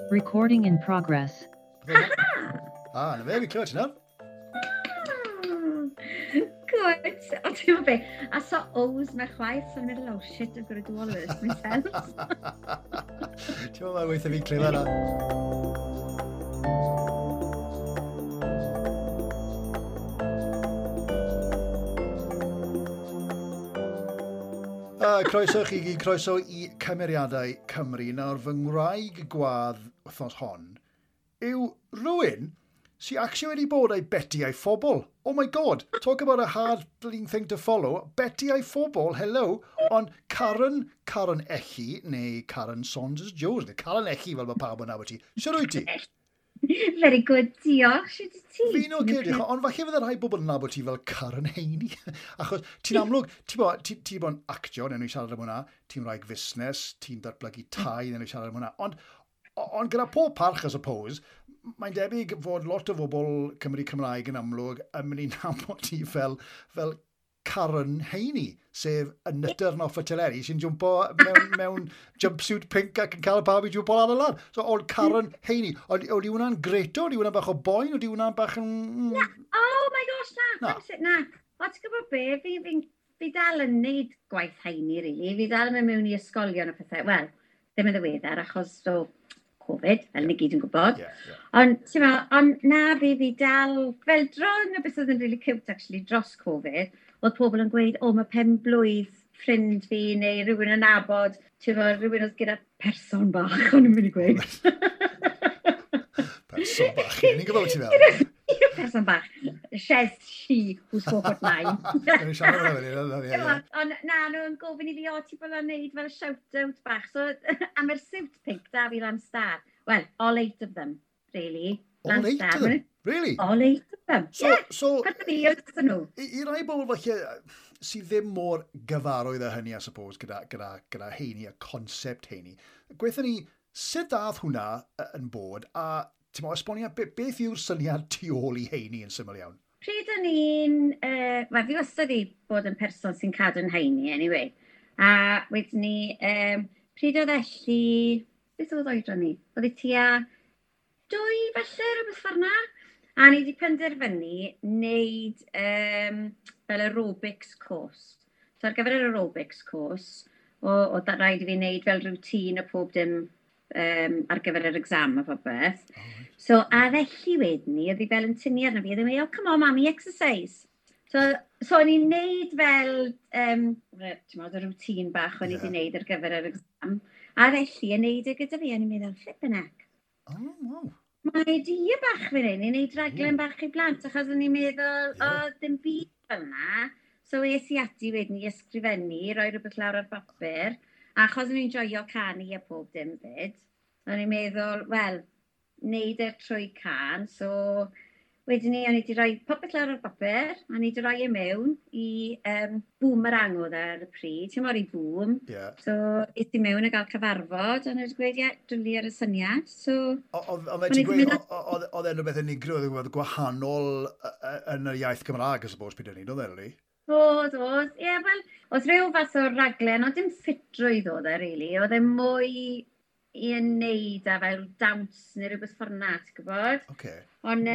Recording in progress. Ah, na fe, fi clywed ti nawr. Good. O, ti'n meddwl be? A so O's na chwaith, so I'm meddwl, oh shit, I've got to do all of this myself. Ti'n meddwl mae weithio fi'n clywed na. Croeso chi gyd, croeso i Cymeriadau Cymru. Nawr, fy ngwraig gwadd wythnos hon yw rhywun sy'n actually wedi bod a'i Beti a'i phobl. Oh my God, talk about a hard bleeding thing to follow. Beti a'i phobl, hello. Ond Karen, Karen Elli, neu Karen Saunders Jones, neu Karen Elli fel mae pawb yn nabod ti. Sut wyt ti? Very good, diolch. Sut wyt ti? Fi'n oce, diolch. Ond falle fydde rhai bobl yn nabod ti fel Karen Heini. Achos ti'n amlwg, ti'n bo, ti, ti bod yn actio, newn ni siarad am hwnna, ti'n rhaid fusnes, ti'n datblygu tai, newn ni siarad am hwnna. Ond gyda pob parch, I suppose, mae'n debyg fod lot o bobl Cymru Cymraeg yn amlwg yn mynd i nabod ti fel Karen Heini, sef y nutter off y teleri sy'n jwmpo mewn jumpsuit pink ac yn cael pawb i jwmpo lan a lan. So, oedd Karen Heini, oedd hwnna'n greto? Oedd hwnna'n bach o boen? Oedd hwnna'n bach yn... Na, oh my gosh, na. Na. O, ti'n gwybod be? Fi dal yn neud gwaith Heini, really. Fi dal yn mynd mewn i ysgolion a pethau. Wel, ddim yn ddiweddar, achos o Covid, fel ni gyd yn gwybod. Yeah, yeah. Ond, ti'n meddwl, ond na, fi dal, fel dron o beth oedd yn really cute, actually, dros Covid, oedd pobl yn gweud, o, mae pen blwydd ffrind fi neu rhywun yn nabod, ti'n meddwl, rhywun oedd gyda person bach, o'n i'n mynd i gweud. Person bach, ni'n gwybod beth ti'n meddwl. Person bach. Shes she who's 4'9". Gawn ni siarad am hynny, ie, ie. Ond na, nhw'n gofyn i fi, o, ti bod yn neud fel shout-out bach. So, am yr suit pink, da fi lan star. Well, all 8 of them, really. All 8 of them? Really? All 8 of them. So, yeah. So, Pan fi oedd nhw. I rai bobl falle sydd ddim mor gyfarwydd â hynny, I suppose, gyda Heini, y concept Heini. Gweithio ni, sut dath hwnna yn bod, a ti'n meddwl, esbonio, beth yw'r syniad tu ôl i Heini yn syml iawn? Pryd o'n i'n... Wel, fi wastad i bod yn person sy'n cadw'n Heini, anyway. A wedyn ni, pryd oedd Elli... Beth oedd oedran ni? Oedd hi tua 2 falle, rhywbeth ffordd na. A ni wedi penderfynu wneud fel aerobics course. So ar gyfer yr aerobics course, o rhaid i fi wneud fel routine a pob dim ar gyfer yr exam a popeth. Oh, right. So, a felly wedyn ni, oedd hi fel yn tynnu arno fi, oedd hi'n gweud, oh, come on, mummy, exercise. So o'n i'n neud fel, ti'n meddwl, y routine bach o'n i wedi neud ar gyfer yr exam. A felly, yn neud e gyda fi, o'n i'n meddwl, flippin' heck. Oh, wow. Mae idea bach fan hyn i wneud rhaglen bach i blant, achos o'n i'n meddwl, o, dim byd fel yna. So es i ati wedyn i ysgrifennu, rhoi rhywbeth lawr ar bapur, a achos o'n i'n joio canu a pob dim fyd, o'n i'n meddwl, wel, wneud e trwy can, so wedyn ni, o'n i wedi rhoi popeth lawr ar bapur, a o'n i wedi rhoi e mewn i Boomerang oedd e ar y pryd, ti'n mor i Boom. Yeah. So, es i mewn a gael cyfarfod, a o'n i wedi gweud, ie, dwli ar y syniad. So, Oedd o'n i ti'n wedi gweud, mynd oedd e'n rhywbeth unigryw, oedd e'n gwahanol yn yr iaith Gymraeg, I suppose, pryd hynny, oedd e, really? Oedd, oedd. Ie, wel, oedd rhyw fath o raglen, ond dim ffitrwydd oedd e, really. Oedd e mwy i wneud â fel dawns neu rhywbeth ffordd na, ti'n gwybod? Okay. Ond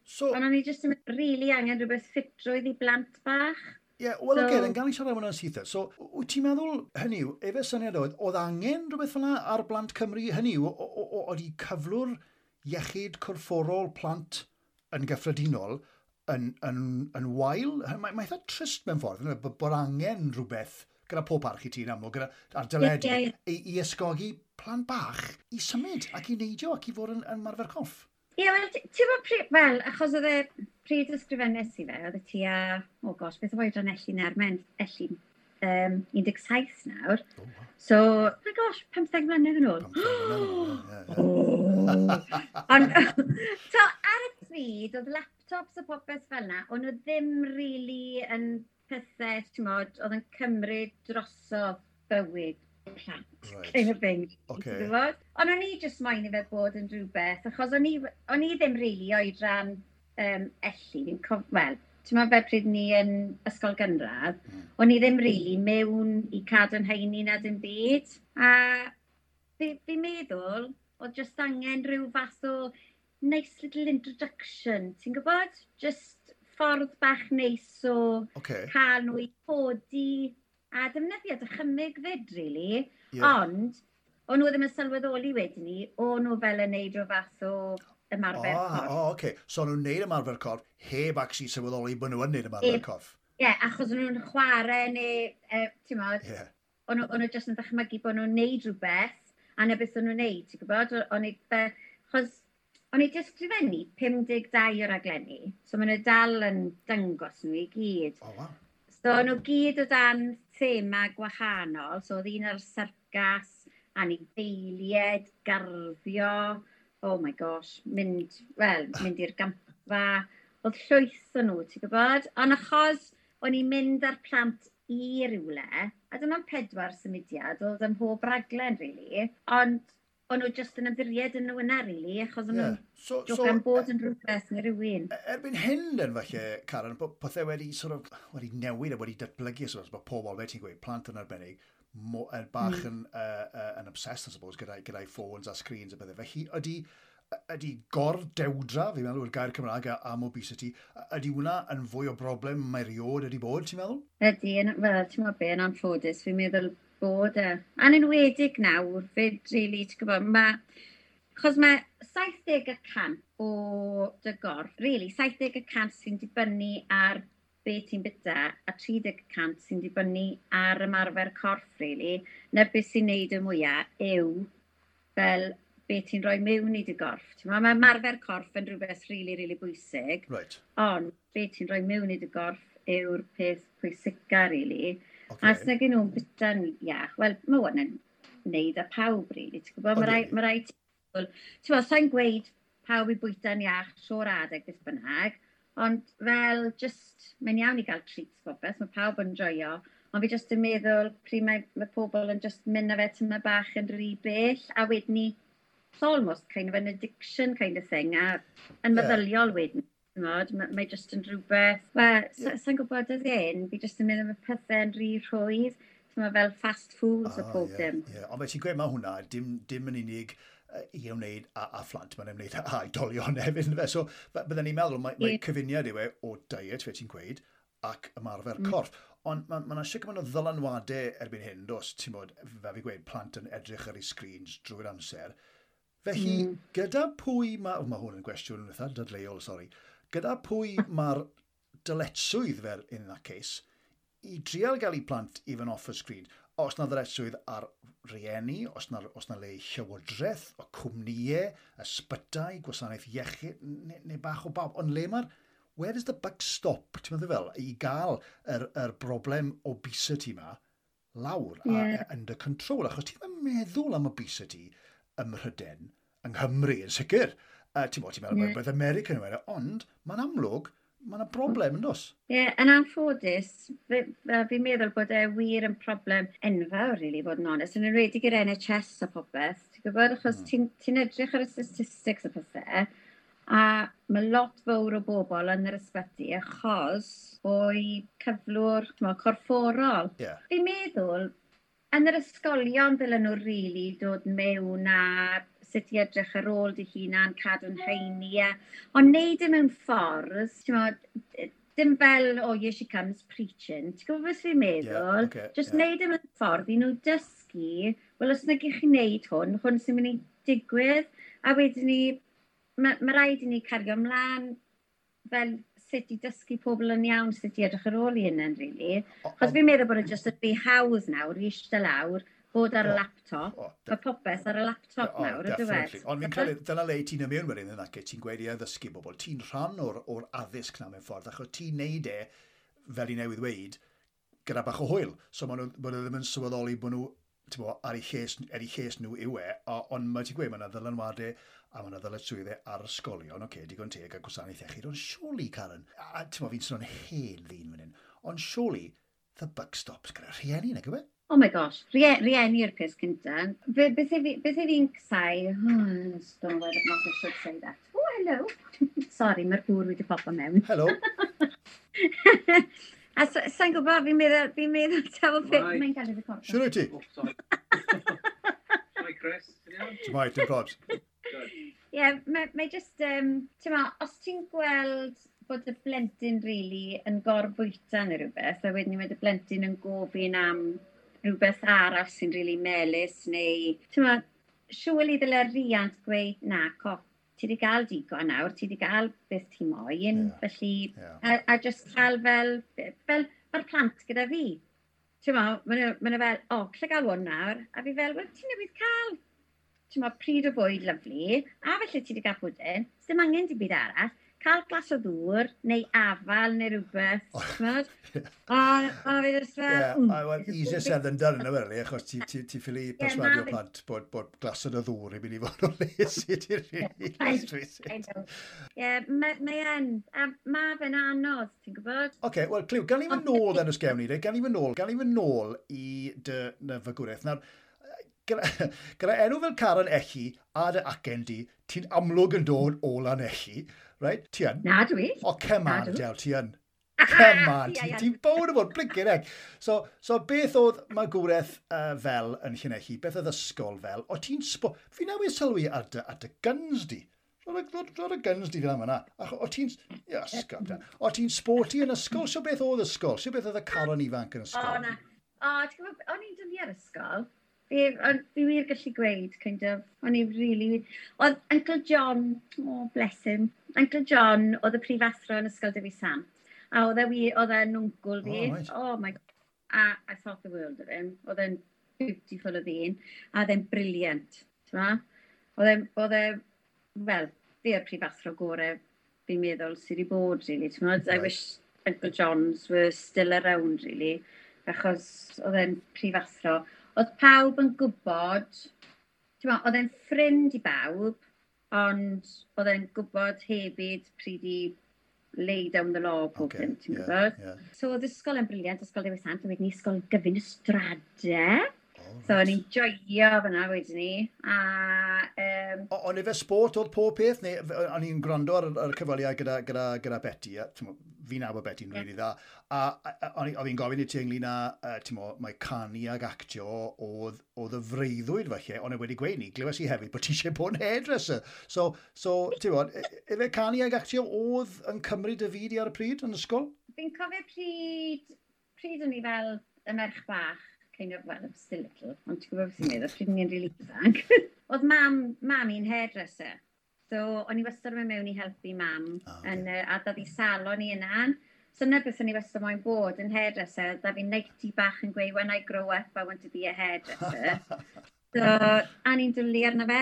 So, o'n i jyst yn really angen rhywbeth ffitrwydd i blant bach. Ie, wel, So oce, then gawn ni siarad am hwnna'n syth. So, wyt ti'n meddwl, hynny yw, efe syniad oedd, oedd angen rhywbeth fel 'na ar blant Cymru? Hynny yw, oedd i cyflwr iechyd corfforol plant yn gyffredinol yn wael? Mae eitha trist mewn ffordd, yndyfe, bod angen rhywbeth gyda pob parch i ti'n amlwg, gyda, ar deledu, Ie, ie, ie. i ysgogi plant bach i symud ac i neidio ac i fod yn marfer corff. Ie, wel, ti'n gwbod pryd, wel, achos oedd e pryd ysgrifennes i fe, oedd e tua, oh gosh, beth oedd oedran Elli nawr, mae'n Elli, 17 nawr. Oh, wow. So, my gosh, 15 mlynedd yn ôl. 15 mlynedd yn ôl, ie, ie. Oh. Ond, so, ar y pryd, oedd laptops a popeth fel 'na, o'n nhw ddim really yn pethau, ti'n modd, oedd yn cymryd drosodd bywyd plant, Right. kind of thing. Ocê. Ti'n gwybod? Ond o'n i jyst moyn i fe bod yn rhywbeth, achos o'n i ddim really oedran Elli, fi'n wel, Ti'n meddwl fel pryd ni yn ysgol gynradd, o'n i ddim really mewn i cadw'n heini na dim byd. A fi meddwl, oedd just angen rhyw fath o nice little introduction, ti'n gwybod? Just ffordd bach neis o cael nhw i codi a defnyddio dychymyg fyd, really. Ond, o'n nhw ddim yn sylweddoli wedyn ni, o'n nhw fel yn neud rhyw fath o ymarfer corff. O, oh, okay. So o'n nhw'n neud ymarfer corff heb actually sylweddoli bod nhw yn neud ymarfer corff. Ie, yeah, achos o'n nhw'n chwarae neu, ti'n modd, o'n nhw jyst yn dychmygu bod nhw'n neud rhywbeth, a na beth o'n nhw'n neud, ti'n gwybod? O'n i, achos o'n i jyst sgrifennu 52 o raglenni, so maen nhw dal yn dangos nhw i gyd. Oh, wow. So o'n nhw gyd o dan thema gwahanol, so oedd un ar syrcas, anifeiliaid, garddio, oh my gosh, mynd i'r gampfa, oedd llwyth o nhw, ti'n gwybod? Ond achos o'n i'n mynd â'r plant i rywle, a dyma'n 4 symudiad, oedd ym mhob raglen, really, ond o'n nhw jyst yn ymddiried yn nhw yna, really, achos o'n nhw'n jocan bod yn rhywbeth neu rhywun. Erbyn hyn, then, falle, Karen, bod pethau wedi, sort of, wedi newid a wedi datblygu, so, bod pobl, fel ti'n gweud, plant yn arbennig, bach yn obsessed, I suppose, gyda'i ffôns a screens a bethau. Felly, ydy gordewdra, fi'n meddwl, yw'r gair Cymraeg am obesity, ydy hwnna yn fwy o broblem mae rioed ydy bod, ti'n meddwl? Ydy, wel, ti'n meddwl be, yn anffodus, fi'n meddwl bod e. A'n enwedig nawr, fyd, really, ti'n gwybod, achos mae 70% o dy gorff, really, 70% sy'n dibynnu ar be ti'n byta, a 30% sy'n dibynnu ar ymarfer corff, really. Na beth sy'n neud y mwyaf yw fel be ti'n rhoi mewn i dy gorff. Ti'n mae ymarfer corff yn rhywbeth really, really bwysig. Ond be ti'n rhoi mewn i dy gorff yw'r peth pwysica, really. A os nag nhw'n byta'n iach, wel, mae hwn yn neud â pawb, really. Ti'n gwybod, mae rai ti'n gwybod, sa'n gweud pawb i bwyta'n iach trwy'r adeg beth bynnag, ond fel, just, mae'n iawn i gael treats popeth, mae pawb yn joio, ond fi just yn meddwl pryd mae pobl yn just mynd â fe tyma bach yn rhy bell, a wedyn ni, it's almost kind of an addiction kind of thing, a yn meddyliol wedyn. Mae jyst yn rhywbeth, wel, sa'n gwybod y ddyn, fi jyst yn meddwl mae pethau'n rhy rhwydd, ti'n fel fast foods a pob dim. Yeah. Ond mae ti'n gweud mae hwnna, dim yn unig i ymwneud â phlant, mae'n ymwneud â oedolion hefyd. Yndyfe? So, bydden ni'n meddwl, mae cyfuniad yw e o diet, fe ti'n gweud, ac ymarfer corff. Ond mae yna sicr gymaint o ddylanwadau erbyn hyn, dos, ti'n bod, fel fi gweud, plant yn edrych ar eu screens drwy'r amser. Felly, gyda pwy mae... Mae hwn yn gwestiwn eitha dadleuol, sori. Gyda pwy mae'r dyletswydd fel in that case i drial gael eu plant even off y screen? Os na ddyletswydd ar rieni, os na le llywodraeth, o cwmnïau, ysbytai, gwasanaeth iechyd, neu bach o bawb. Ond le mae'r... Where does the buck stop, ti'n meddwl fel, i gael yr broblem obesity ma lawr a under control? Achos ti ddim yn meddwl am obesity ym Mhrydain, yng Nghymru yn sicr. Ti'n meddwl yeah. beth America yn yw, ond mae'n amlwg, mae'n broblem yn dos. Ie, yeah, yn anffodus, fi'n meddwl bod e wir yn problem enfawr, really, bod yn onest, yn enwedig i'r NHS a popeth, ti'n gwybod, achos ti'n edrych ar y statistics a pethau, a mae lot fawr o bobl yn yr ysbyty achos o'i cyflwr corfforol. Fi'n meddwl, yn yr ysgolion ddylen nhw really dod mewn a sut i edrych ar ôl dy hunan, cadw'n heini. Ond neud e mewn ffordd, ti'n mo, dim fel, oh, here she comes preaching. Ti'n gwybod beth fi'n meddwl? Yeah, okay, just neud e mewn ffordd i nhw dysgu, wel, os nag i chi wneud hwn, hwn sy'n mynd i digwydd, a wedyn ni, mae rhaid i ni cario ymlaen fel sut i dysgu pobl yn iawn, sut i edrych ar ôl i hynny'n, really. Chos fi'n meddwl bod e just yn rhy hawdd nawr, i eistedd lawr, bod ar y laptop. Mae popeth ar y laptop nawr, ydw e. Ond fi'n credu, dyna le ti'n ymwneud wedyn yn ac ti'n gweud i addysgu bobl. Ti'n rhan o'r addysg na mewn ffordd, achos ti'n neud e, fel i newydd weud, gyda bach o hwyl. So maen nhw ddim yn sylweddoli bod nhw, ti'n bo, ar eu lles nhw yw e, ond mae ti'n gweud, mae yna ddylanwadau a mae yna ddyletswyddau ar ysgolion, oce, digon teg a gwasanaeth iechyd, ond surely, Karen, a ti'n bo, fi'n sôn hen ddyn fan hyn, ond surely, the buck stops gyda rhieni, nag yw e? Oh my gosh, rieni yw'r peth cyntaf. Beth i fi'n casáu, oh, I don't know whether or not I should say that. Oh, hello. Sorry, mae'r gŵr wedi popo mewn. Hello. A sa'n gwybod, fi'n meddwl taw beth mae'n cael ei recordo. Siwr wyt ti? Oh, sorry. Hi, Chris. Ti'n iawn? Ti'n mai, dim probs. Good. Ie, yeah, mae just, ti'n ma, os ti'n gweld bod y blentyn really yn gorfwyta neu rhywbeth, a wedyn mae y blentyn yn gofyn am rhywbeth arall sy'n really melys, neu, ti'n ma, surely ddyle riant gweud, "Na, co, ti wedi gael digon nawr, ti wedi gael beth ti moyn," felly, a just cael fel mae'r plant gyda fi. Ti'n ma, ma nhw fel, "O, oh, lle gael hwn nawr?" A fi fel, "Wel, ti newydd cael, ti'n ma, pryd o fwyd lyfli, a felly ti wedi cael pwdin, dim angen dim byd arall, cael glas o ddŵr, neu afal, neu rhywbeth," ti'n O, fi jyst fel, Yeah, well, easier said than done, yna really, achos ti ffili perswadio plant bod glasod o ddŵr i mynd i fod o les i ti, really. Let's face I it. know. Ie, mae yn, a ma fe'n anodd, ti'n gwybod? Oce, wel, Cliw, gan i fynd nôl then os gewn ni, de? Gan i fynd nôl i dy ny fagwraeth. Nawr, gyda enw fel Karen Elli a dy acen di, ti'n amlwg yn dod o Lanelli, right? Ti yn? Na, dwi. O, come on, Nadw. Del, ti yn. Come on, Ie, ie. ti'n bownd o fod, blinking heck. So beth oedd magwraeth fel yn Llanelli? Beth oedd ysgol fel? O ti'n spo... Fi newydd sylwi ar dy guns di. Rho'r y guns di fel yma na. Ach, o ti'n... Iasgob, da. O ti'n sporty yn ysgol? So beth oedd ysgol? So beth oedd y Caron ifanc yn O, ysgol? na. O, ti'n gwybod, o'n i'n dwlu ar ysgol. Fi wir gallu gweud, kind of, o'n i really. Oedd Uncle John, oh, bless him, Uncle John oedd y prifathro yn Ysgol Dewi Sant. A oedd e wir, oedd e'n wncwl fi. Oh, right. Oh my God. A I thought the world of him. Oedd e'n beautiful o ddyn. A oedd e'n brilliant. Ti'n ma? Oedd e, wel, fi o'r prifathro gorau fi'n meddwl sydd wedi bod, really. Ti'n ma? I wish Uncle Johns were still around, really. Achos oedd e'n prifathro. Oedd pawb yn gwybod, ti'n ma, oedd e'n ffrind i bawb, ond oedd e'n gwybod hefyd pryd i lay down the law pob dim, ti'n gwybod? So oedd ysgol yn brilliant, Ysgol Dewi Sant, a wedyn ni Ysgol Gyfun y Strade. Oh, So o'n i'n joio fyna wedyn ni. A, Ond efe sport oedd pob peth, neu o'n i'n gwrando ar y cyfweliad gyda Betty, a, t'mo, fi'n nabod Betty'n rili dda, a o'n i'n gofyn i ti ynglyn â, t'mo, mae canu ag actio oedd y freuddwyd falle, ond e wedi gweud ni, glywes i hefyd bod ti eisiau bod yn hairdresser. So ti'n bod, efe canu ag actio oedd yn cymryd y fyd i ar y pryd yn ysgol? Fi'n cofio pryd o'n i fel y merch bach, kind of, well, I'm still little, ond ti'n gwybod beth sy'n meddwl, pryd o'n i'n really ifanc. Oedd mam i'n hairdresser. So, o'n i wastad yn mynd mewn i helpu mam, Ah, ocê. yn, a dod i salon i yna. So, yna beth o'n i wastad moyn bod yn hairdresser. Da fi nightie bach yn gweud, "When I grow up, I want to be a hairdresser." So, a ni'n dwlu arno fe.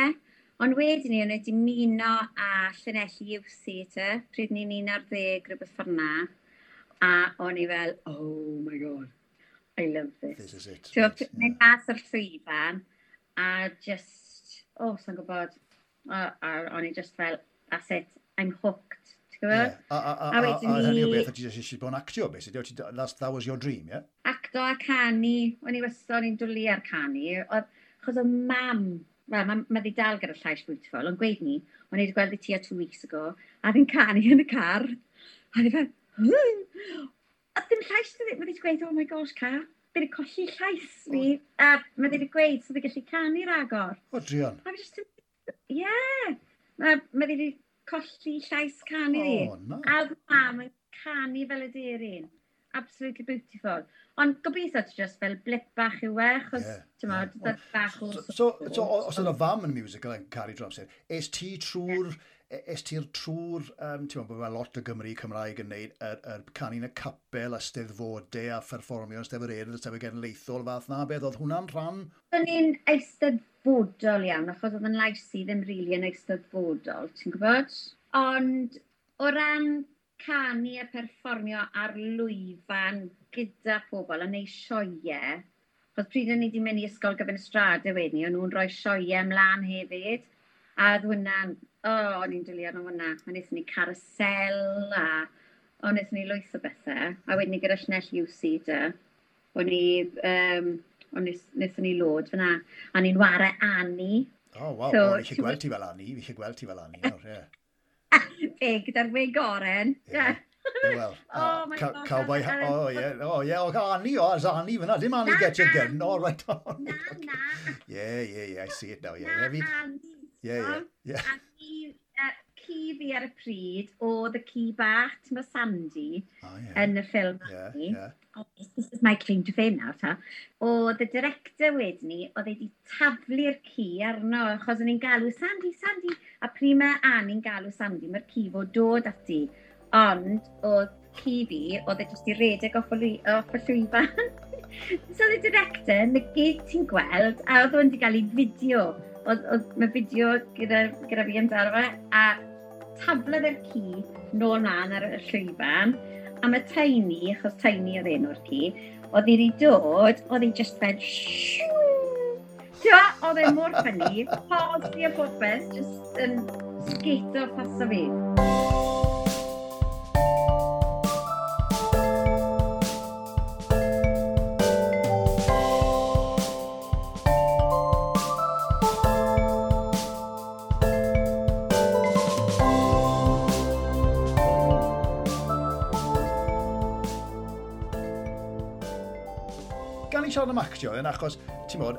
Ond wedyn ni, o'n i wedi ymuno â Llanelli Youth Theatre, pryd ni'n 11, rhywbeth ffordd na. A o'n i fel, "Oh my God, I love this." This is it. So, right, mynd mas o'r llwyfan, a just, oh, sa'n gwybod, a o'n i just fel, "That's it, I'm hooked." Ti'n gwybod? Yeah. A A wedyn a hynny o ni- beth, a ti jyst eisiau bod yn actio, basically. That was your dream, yeah? Acto a canu, o'n i wastad, o'n i'n dwlu ar canu, oedd, achos oedd mam, wel, ma ddi dal gyda llais beautiful, ond gweud ni, o'n i wedi gweld i tua 2 weeks ago, a fi'n canu yn y car, a fi fel, "Hmm." A ddim llais, mae di wedi gweud, "Oh my gosh, Car, fi wedi colli llais fi," a mae di wedi gweud, so fi gallu canu ragor. O, druan. A fi just, yeah, mae di wedi colli llais canu fi. O, na. A oedd mam yn canu fel y deryn. Absolutely beautiful. Ond gobeithio ti just fel blip bach yw e, achos, ti'n mo, bach o So, os yna fam yn musical yn caru dros hyn, es ti'r trwy'r, ti'n meddwl, mae lot o Gymru Cymraeg yn neud yr canu yn y capel a steddfodau a pherfformio yn Steddfod Urdd, y Steddfod Genedlaethol, fath na beth, oedd hwnna'n rhan? O'n i'n eisteddfodol iawn, achos oedd yn lais i ddim rili yn eisteddfodol, ti'n gwybod? Ond o ran canu a perfformio ar lwyfan gyda pobl a neud sioeau, achos pryd o'n i wedi mynd i Ysgol Gyfun y Strade wedyn ni, o'n nhw'n rhoi sioeau ymlaen hefyd, a oedd hwnna'n, o, oh, o'n i'n dwlu arno hwnna. A wnaethon ni carousel a o, wnaethon ni lwyth o bethau. A wedyn ni gyda Llanelli UC de, o'n i, o'n i, wnaethon ni lod fyna. A ni'n ware Annie. O, oh, waw, So, so, fi eisiau gweld ti fel Annie, fi eisiau gweld ti fel Annie nawr, ie. Fe, gyda'r wig oren. Ie. Well, Oh my God. Cowboy, oh yeah, oh yeah, oh, Annie, oh, it's Annie fyna, dim Annie Get Your Gun, oh right. Oh, Na, na. Yeah, I see it now, yeah. Na, Annie. Yeah. A ci fi ar y pryd oedd y ci bach, ti'n bod Sandy, yn y ffilm Annie. Oh, this is my claim to fame nawr, ta. Oedd y director wedyn ni, oedd wedi taflu'r ci arno, achos o'n i'n galw Sandy, Sandy, a pryd mae Annie'n galw Sandy, mae'r ci fod dod ati. Ond oedd ci fi, oedd e jyst i redeg off y llwyfan. So oedd y director, na gyd ti'n gweld, a oedd o'n wedi cael ei fideo. Oedd mae fideo gyda fi amdano fe, a taflodd yr ci nôl mlaen ar y llwyfan, a mae Tiny, achos Tiny oedd enw'r ci, oedd hi wedi dod, oedd hi just fel shoo! Ti'n gwbod, oedd e mor ffynnu, pause a popeth, just yn sgeito paso fi. Siarad am actio, yn achos, ti'n bod,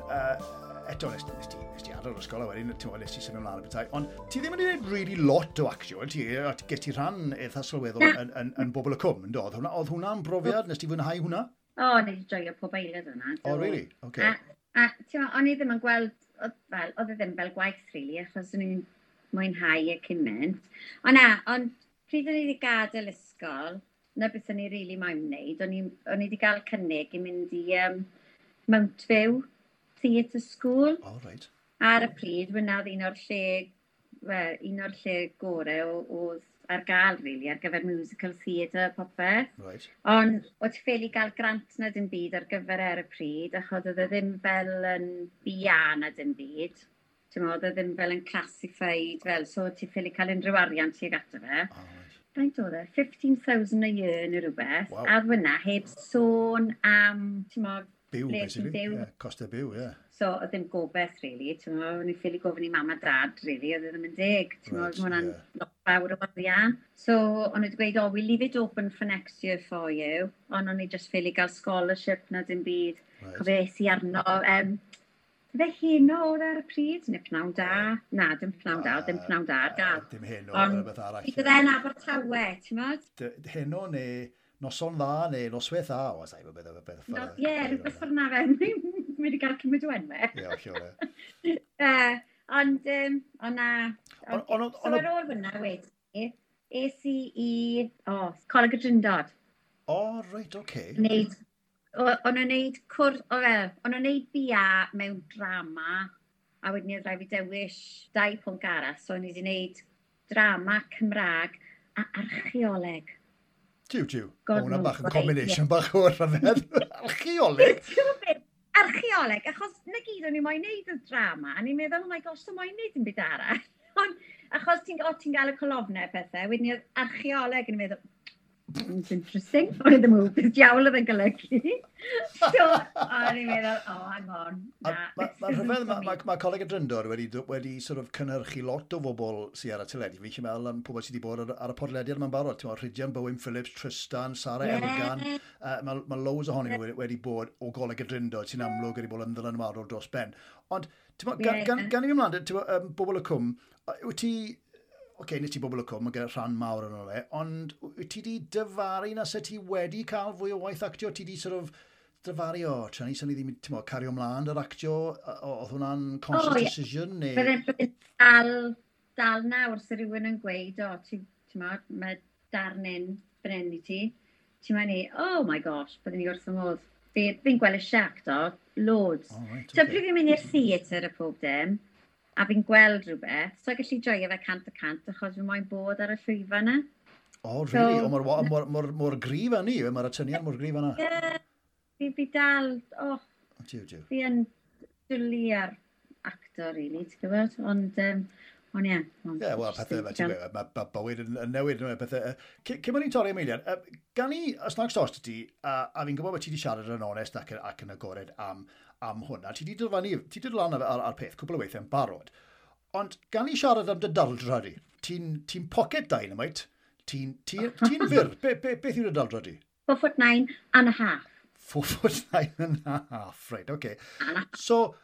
eto nes ti adael yr ysgol a wedyn, ti'n bod, nes ti symud ymlaen y bethau, ond ti ddim wedi gwneud really lot o actio, ti ges ti rhan eitha sylweddol yn Bobol y Cwm, yn do? Oedd hwnna'n brofiad? Nes ti fwynhau hwnna? O, nes i joio pob eiliad hwnna. O, really? Okay. A ti'n bod, o'n i ddim yn gweld, oedd e ddim fel gwaith, really, achos o'n i'n mwynhau y cymaint. O na, ond pryd o'n i wedi gadael ysgol, na beth o'n i really moyn wneud, o'n i wedi gael cynnig i mynd i Mount View Theatre School. Oh, right. Ar y pryd, wna oedd un o'r lle gorau oedd ar gael, really, ar gyfer musical theatre popeth. Right. Ond oedd ti ffili gael grant na dim byd ar gyfer ar y pryd, achos oedd e ddim fel yn BA na dim byd. Ti'n meddwl, oedd e ddim fel yn classified, fel, so ti ffili cael unrhyw arian tuag ato fe. Oh, right. Faint oedd e? 15,000 a year neu rhywbeth. Wow. A oedd hwnna heb sôn am, ti'n meddwl, Byw, basically. Yeah, costau byw, yeah. So, oedd ddim gobeith, really. Ti'n meddwl, o'n i ffili gofyn i mam a dad, really, oedd e ddim yn deg. Ti'n meddwl, right, hwnna'n lot fawr o arian. So, o'n i wedi gweud, oh, we leave it open for next year for you. Ond o'n i just ffili gael scholarship na dim byd. Right. Cofio es i arno, fe heno oedd ar y pryd, neu pnawn da. Na, dim pnawn da, dim pnawn da ar gael. Dim heno, ond rhywbeth arall. Ond e'n Abertawe, ti'n meddwl? Heno neu noson dda neu noswaith dda, o, sa'i beth ffordd. Ie, rhywbeth ffordd na fe, mi wedi cael cymryd o enwau. Ie, hollol, ie. Ond, ond na. So ar ôl hwnna wedi, es i i, Coleg y Drindod. O, reit, oce. O'n nhw'n neud cwrs, o'n nhw'n neud BA mewn drama, a wedyn oedd rhaid fi dewis 2 pwnc arall, so o'n i wedi neud drama Cymraeg a archeoleg. Tiw, tiw. O, hwnna bach yn combination bach o'r rhyfedd. Archeoleg? Archeoleg, achos na gyd o'n i moyn neud y drama, a ni'n meddwl, oh my gosh, so moyn neud yn byd arall. Ond achos ti'n gael y colofnau pethau, wedyn oedd archeoleg yn meddwl, it's interesting. O'n i ddim yn gwybod beth diawl oedd yn golygu. So, o'n i'n meddwl, oh, hang on. Mae'n rhyfedd, mae Coleg y Drindod wedi sort of cynhyrchu lot o bobl sydd ar y teledu. Fi'n meddwl am pobl sydd wedi bod ar y podlediad yma'n barod. Ti'n meddwl, Rhydian Bowen Phillips, Tristan, Sarah Elgan. Mae loads ohonyn nhw wedi bod o Goleg y Drindod sy'n amlwg wedi bod yn ddylanwadol dros ben. Ond, ti'n meddwl, gan i fi ymlaen, ti'n meddwl, Bobol y Cwm, wyt ti... Oce, nes ti Bobol y Cwm, mae gyda rhan mawr yn ole, ond wyt ti di dyfaru na se ti wedi cael fwy o waith actio? Ti di sort of dyfaru, o, tra ni sy'n ni ddim, ti'n meddwl, cario ymlaen yr actio, oedd hwnna'n conscious decision? Neu... Bydde'n dal nawr sy'n rhywun yn gweud, o, ti'n meddwl, mae darn un fan hyn i ti. Ti'n meddwl ni, oh my gosh, bydden ni wrth y modd. Fi'n gweld y siac, do, loads. Oh, right, okay. So, pryd fi'n mynd i'r theatr y pob dim, a fi'n gweld rhywbeth, so gallu joio fe 100% achos fi moyn bod ar y llwyfan yna. O, really? So, o, mor gryf â ni, mae'r atyniad mor gryf yna. Ie, fi dal, Jiw, jiw. Fi yn dwlu ar actor, really, ti'n gwybod? Ond, ond ie. Ie, wel, pethau, mae bywyd yn newid, pethau. Cyn bod ni'n torri am eiliad, gan i, os nag stos ti, a fi'n gwybod bod ti wedi siarad yn onest ac yn agored am hwn, a ti wedi dod lan ar peth cwpl o weithiau yn barod, ond gan i siarad am dy daldra di, ti'n pocket dynamite, Ti'n ti, ti fyr, beth yw'r daldra di? 4 foot 9 and a half. 4 foot 9 and a half, right, okay. So,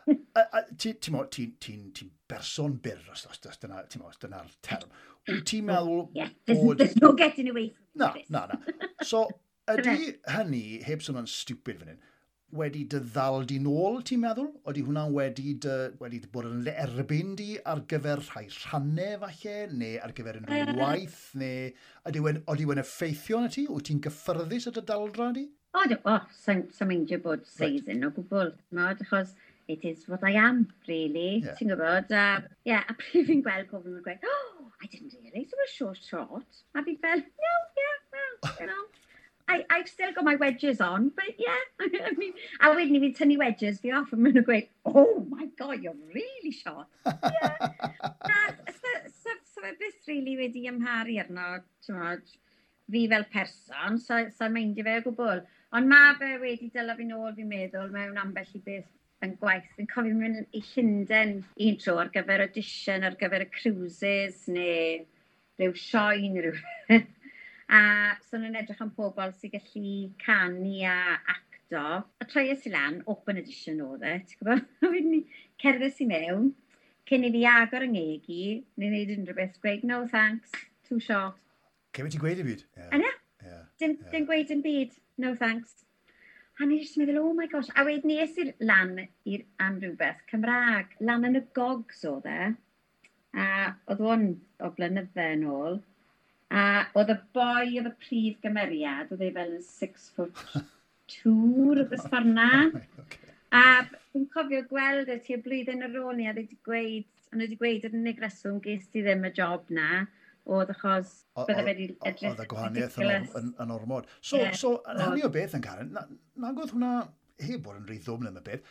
ti'n ti, ti, ti berson byr, os dyna, ti'n mo, os dyna'r term. Wyt ti'n meddwl Yeah, there's no getting away from Na, this. Na. So, ydy hynny, heb sôn yn stupid fan hyn, wedi dy ddal di nôl, ti'n meddwl? Ydy hwnna wedi dy bod yn erbyn di ar gyfer rhai rhannau falle, neu ar gyfer unrhyw waith, neu ydy wen effeithio arna ti? Wyt ti'n gyffyrddus o dy daldra di? O, oh, sa'n meindio bod seis yn o gwbl, t'mod, achos it is what I am, really, ti'n gwybod? A, yeah, a pryd fi'n gweld pobl yn gweud, "Oh, I didn't realise it was so short." A fi fel, "No, yeah, well, I've still got my wedges on, but yeah." I mean, a wedyn ni fi'n tynnu wedges fi off, a maen nhw'n gweud, "Oh my God, you're really short." Yeah. Na, so fe byth really wedi amharu arno, t'mod, fi fel person, so meindio fe o gwbl. Ond mae fe wedi dyla fi nôl, fi'n meddwl, mewn ambell i beth yn gwaith. Fi'n cofio mynd i Llundain un tro ar gyfer audition, ar gyfer y cruises, neu rhyw sioe neu rhywbeth. A so nhw'n edrych am pobl sy'n gallu canu a acto. A troies i lan, open audition oedd e, ti'n gwybod? A wedyn ni cerddes i mewn, cyn i fi agor yng ngeg i, neu wneud unrhyw beth, gweud, "No thanks, too short." Cefn ti'n gweud i byd? Yeah. A na, dim gweud yn byd, "No thanks." A ni jyst yn meddwl, "Oh my gosh." A wedyn ni es i lan am rhywbeth Cymraeg, lan yn y Gogs oedd e. A oedd hwn o blynydde yn ôl. A oedd y boi oedd y prif gymeriad, oedd e fel yn 6 foot 2, rhywbeth ffordd na. A fi'n cofio gweld e tua blwyddyn ar ôl ni, a o'n nhw wedi gweud yr unig reswm ges ti ddim y job na, oedd achos bydde fe wedi edrych Oedd y gwahaniaeth ridiculous. yn ormod. So, so yn hynny o beth yn Karen, nag oedd hwnna, heb bod yn rhy ddwfn am y beth,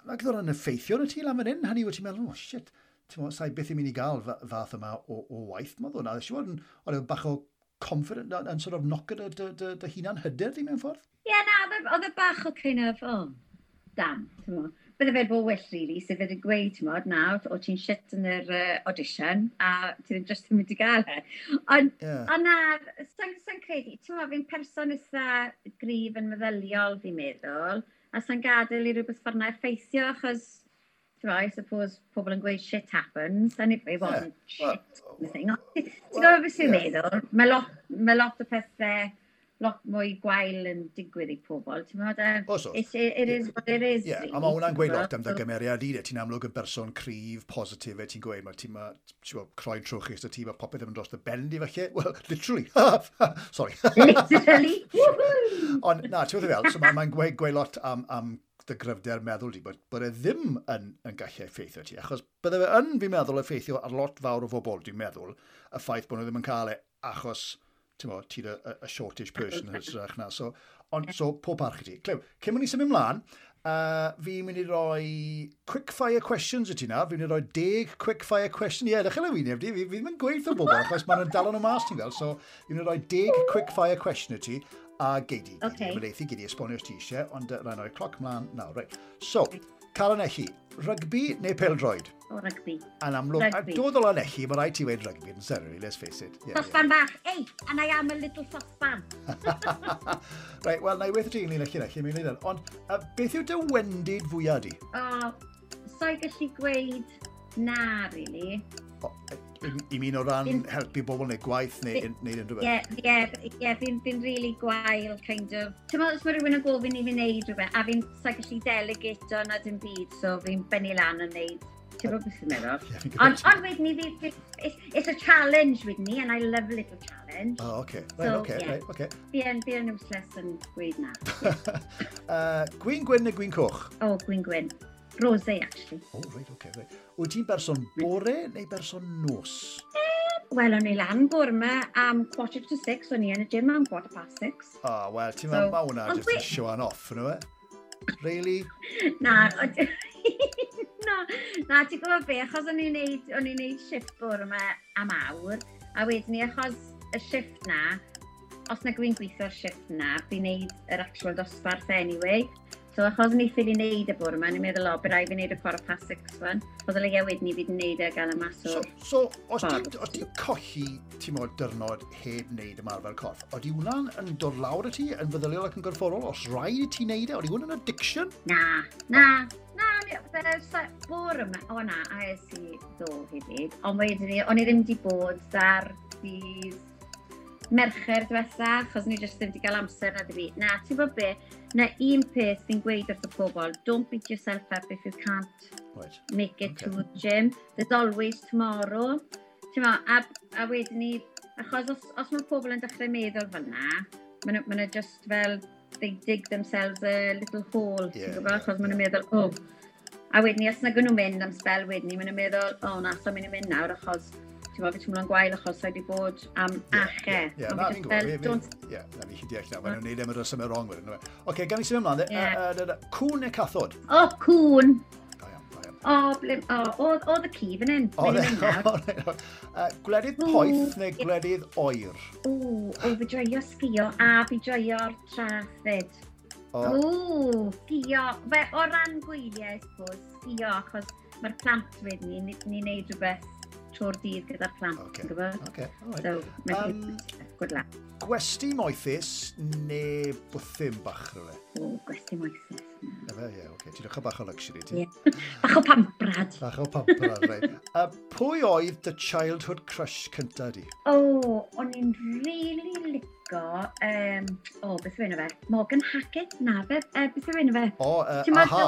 nag oedd hwnna'n effeithio ar y ti lan fan hyn? Hynny wyt ti'n meddwl, "Oh shit, ti'n meddwl, sa'i byth yn mynd i gael fath yma o waith." Mae hwnna, siŵr yn, oedd e bach o confident yn sort of knock dy hunan hyder di mewn ffordd? Ie, yeah, na, oedd e bach o kind of, "Oh, damn," ti'n mo. Bydde fe bod well, really, sef wedi gweud, ti'n mo, nawr, o ti'n shit yn yr audition, a ti ddim just yn mynd i gael e. Ond, ond na, sa'n credu, ti'n mo, fi'n person eitha gryf yn meddyliol, fi'n meddwl, a sa'n gadael i rhywbeth ffordd na effeithio, achos, ti'n mo, I suppose pobl yn gweud shit happens, and it wasn't shit, anything. Ti'n gwybod beth sy'n meddwl? Mae lot o pethau lot mwy gwael yn digwydd i pobl, ti'n meddwl? Oes, oes. It is what it is. Ie, yeah, a mae hwnna'n gweud lot am dy gymeriad i, de. Ti'n amlwg yn berson cryf, positif, e, ti'n gweud, mae ti'n ma, ti'n gwbod, croen trwchus y ti, mae popeth yn mynd dros dy ben di falle. Well, literally. Sorry. Literally. Woohoo! Ond na, ti'n gwybod fel, so mae'n gweud lot am dy gryfder meddwl di, bod e ddim yn gallu effeithio ti, achos bydde fe yn, fi'n meddwl, effeithio ar lot fawr o bobl, dwi'n meddwl, y ffaith bod nhw ddim yn cael e, achos, ti'n mo, ti'n y shortish person yn hytrach na. So, ond, so, pob parch i ti. Clyw, cyn mynd i symud ymlaen, fi'n mynd i roi quick fire questions i ti na. Fi'n mynd i roi 10 quick fire question. Ie, yeah, dechrau wyneb di. Fi ddim yn gweud wrth bobl, achos maen nhw'n dal nhw mas, ti'n gweld. So, fi'n mynd i roi 10 quick fire question i ti, a gei di, gei di, gei di esbonio os ti eisiau, ond rhaid rhoi cloc ymlaen nawr. Right. So, Karen Elli, rygbi neu pêl-droed? O, rygbi. Yn amlwg, a Rygbi. dod o Lanelli, mae rhaid ti weud rygbi yn seriously, let's face it. Sosban bach. Ei, and I am a little sosban. Right, wel, na i weithio ti ynglyn â Llanelli, mi'n wneud. Ond beth yw dy wendid fwyaf di? O, so i gallu gweud na, really. O, i mi o ran helpu bobl neu gwaith neu unrhyw beth? Ie, fi'n really gwael, kind of. Ti'n meddwl, os mae rhywun yn gofyn i fi wneud rhywbeth, a fi'n sa'i gallu delegato na dim byd, so fi'n bennu lan yn wneud. Ti'n gwybod beth sy'n meddwl? Ie, fi'n gwybod. Ond wedyn ni, it's a challenge with me, and I love a little challenge. Oh, okay. Right, So, okay, yeah. right, okay. Fi yn useless yn gweud na. Gwin gwyn neu gwin coch? O, gwin gwyn. Rosé, actually. Oh, right, okay, right. Wyt ti'n berson bore neu berson nos? Wel, o'n i lan bore yma am 5:45, o'n i yn y gym am 6:15. Ah, wel, ti'n So, meddwl, mae hwnna ond just yn showing off, yno e? Really? Na, ti'n gwybod be, achos o'n i'n neud shift bore yma am awr, a wedyn ni, achos y shift na, os na dwi'n gweithio'r shift na, fi'n neud yr actual dosbarth anyway. So achos ni ffili wneud y bore yma, ni'n meddwl, o, bydd rhaid fi wneud y 6:15 wan. Oedd o leia wedyn ni fi wedi wneud e gael y mas o'r. So, os ti'n colli, ti'n modd, dyrnod heb wneud ymarfer corff, oeddi hwnna'n yn dod lawr i ti, yn feddyliol ac yn gorfforol? Os rhaid i ti wneud e, oeddi hwnna'n addiction? Na, na, bore yma, o na, a es i ddo hefyd. Ond wedyn ni, o'n i ddim wedi bod ar ddydd Mercher diwetha, achos ni jyst ddim wedi cael amser na ddim byd. Na, ti'n bod be, na un peth fi'n gweud wrth y pobl, don't beat yourself up if you can't make it to the gym. There's always tomorrow. Ti'n mo, a wedyn ni, achos os mae pobl yn dechrau meddwl fel na, maen nhw just fel, they dig themselves a little hole, ti'n gwybod? Achos maen nhw'n meddwl, oh. A wedyn ni, os nag nhw'n mynd am spel wedyn ni, maen nhw'n meddwl, oh na, so mynd i mynd nawr, achos ti'n gwybod, fi teimlo'n gwael achos wedi bod am ache. Ie, na, fi'n gwybod. Ie, na, fi deall na. Maen nhw'n neud am y rhesymau wrong wedyn. Oce, gan i symud ymlaen. Cŵn neu cathod? O, cŵn. Da iawn, da iawn. O, blim, o, oedd y ci fan hyn. O, gwledydd poeth neu gwledydd oer? O, fi joio sgio a fi joio'r traeth fyd. O, sgio. Fe, o ran gwyliau, I suppose, sgio, achos mae'r plant wedyn ni'n neud rhywbeth trwy'r dydd gyda'r plant, ti'n gwybod? Okay, all right. So, mae'n good luck. Gwesty moethus neu bwthyn bach rhywle? O, gwesty moethus. Efe, ie, oce. Ti'n dechrau bach o luxury, ti? Ie. Bach o pamprad. Bach o pamprad, reit. Pwy oedd dy childhood crush cynta di? O, o'n i'n really lico, o, beth yw enw fe? Morgan Hackett? Na, fe, beth yw enw fe? O, Ti'n Aha.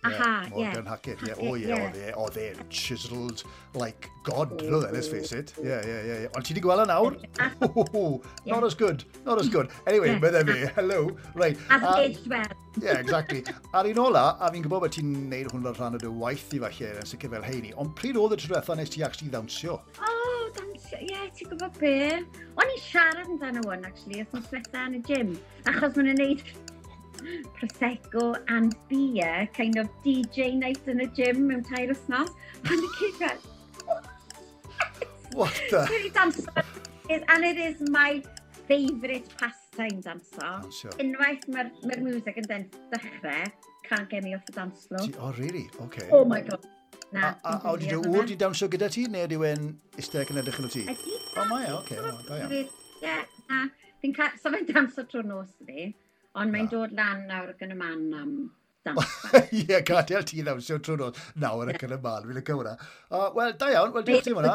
Aha, ie. Morgan Hackett, ie. O, ie, Hackett, ie. oedd e chiseled like God, no then, let's face it. Ie. Ond ti wedi gweld e nawr? Not as good, not as good. Anyway, bydde fi, hello. Right. Has aged well. Yeah, exactly. A'r un ola, a fi'n gwybod bod ti'n neud hwn fel rhan o dy waith i falle, yn sicr fel heini, ond pryd oedd y tro diwetha nes ti actually ddawnsio? O, dawnsio, ie, ti'n gwybod be? O'n i'n siarad amdano hwn, actually, wythnos diwetha yn y gym, achos maen nhw'n neud Prosecco and beer, kind of DJ night yn y gym mewn 3 wythnos. A ni gyd fel, What the? Dwi wedi danso, and it is my favourite pastime, danso. Dawnsio. Unwaith mae'r music yn dechrau, can't get me off the dance floor. Oh, really? Okay. Oh my God. Na. A wedi dy ŵr di dawnsio gyda ti, neu ydy e'n eistedd ac yn edrych yn ti? Ydy. O, mae e, oce, o, da iawn. Ie, na. Fi'n cael, so fe'n danso trwy'r nos fi, ond mae'n Na. dod lan nawr ac yn y man am dans. Ie, gadael ti ddawnsio trwy'r nos. Nawr ac yn y man, fi'n licio hwnna. Wel, da iawn, wel, diolch ti am hwnna.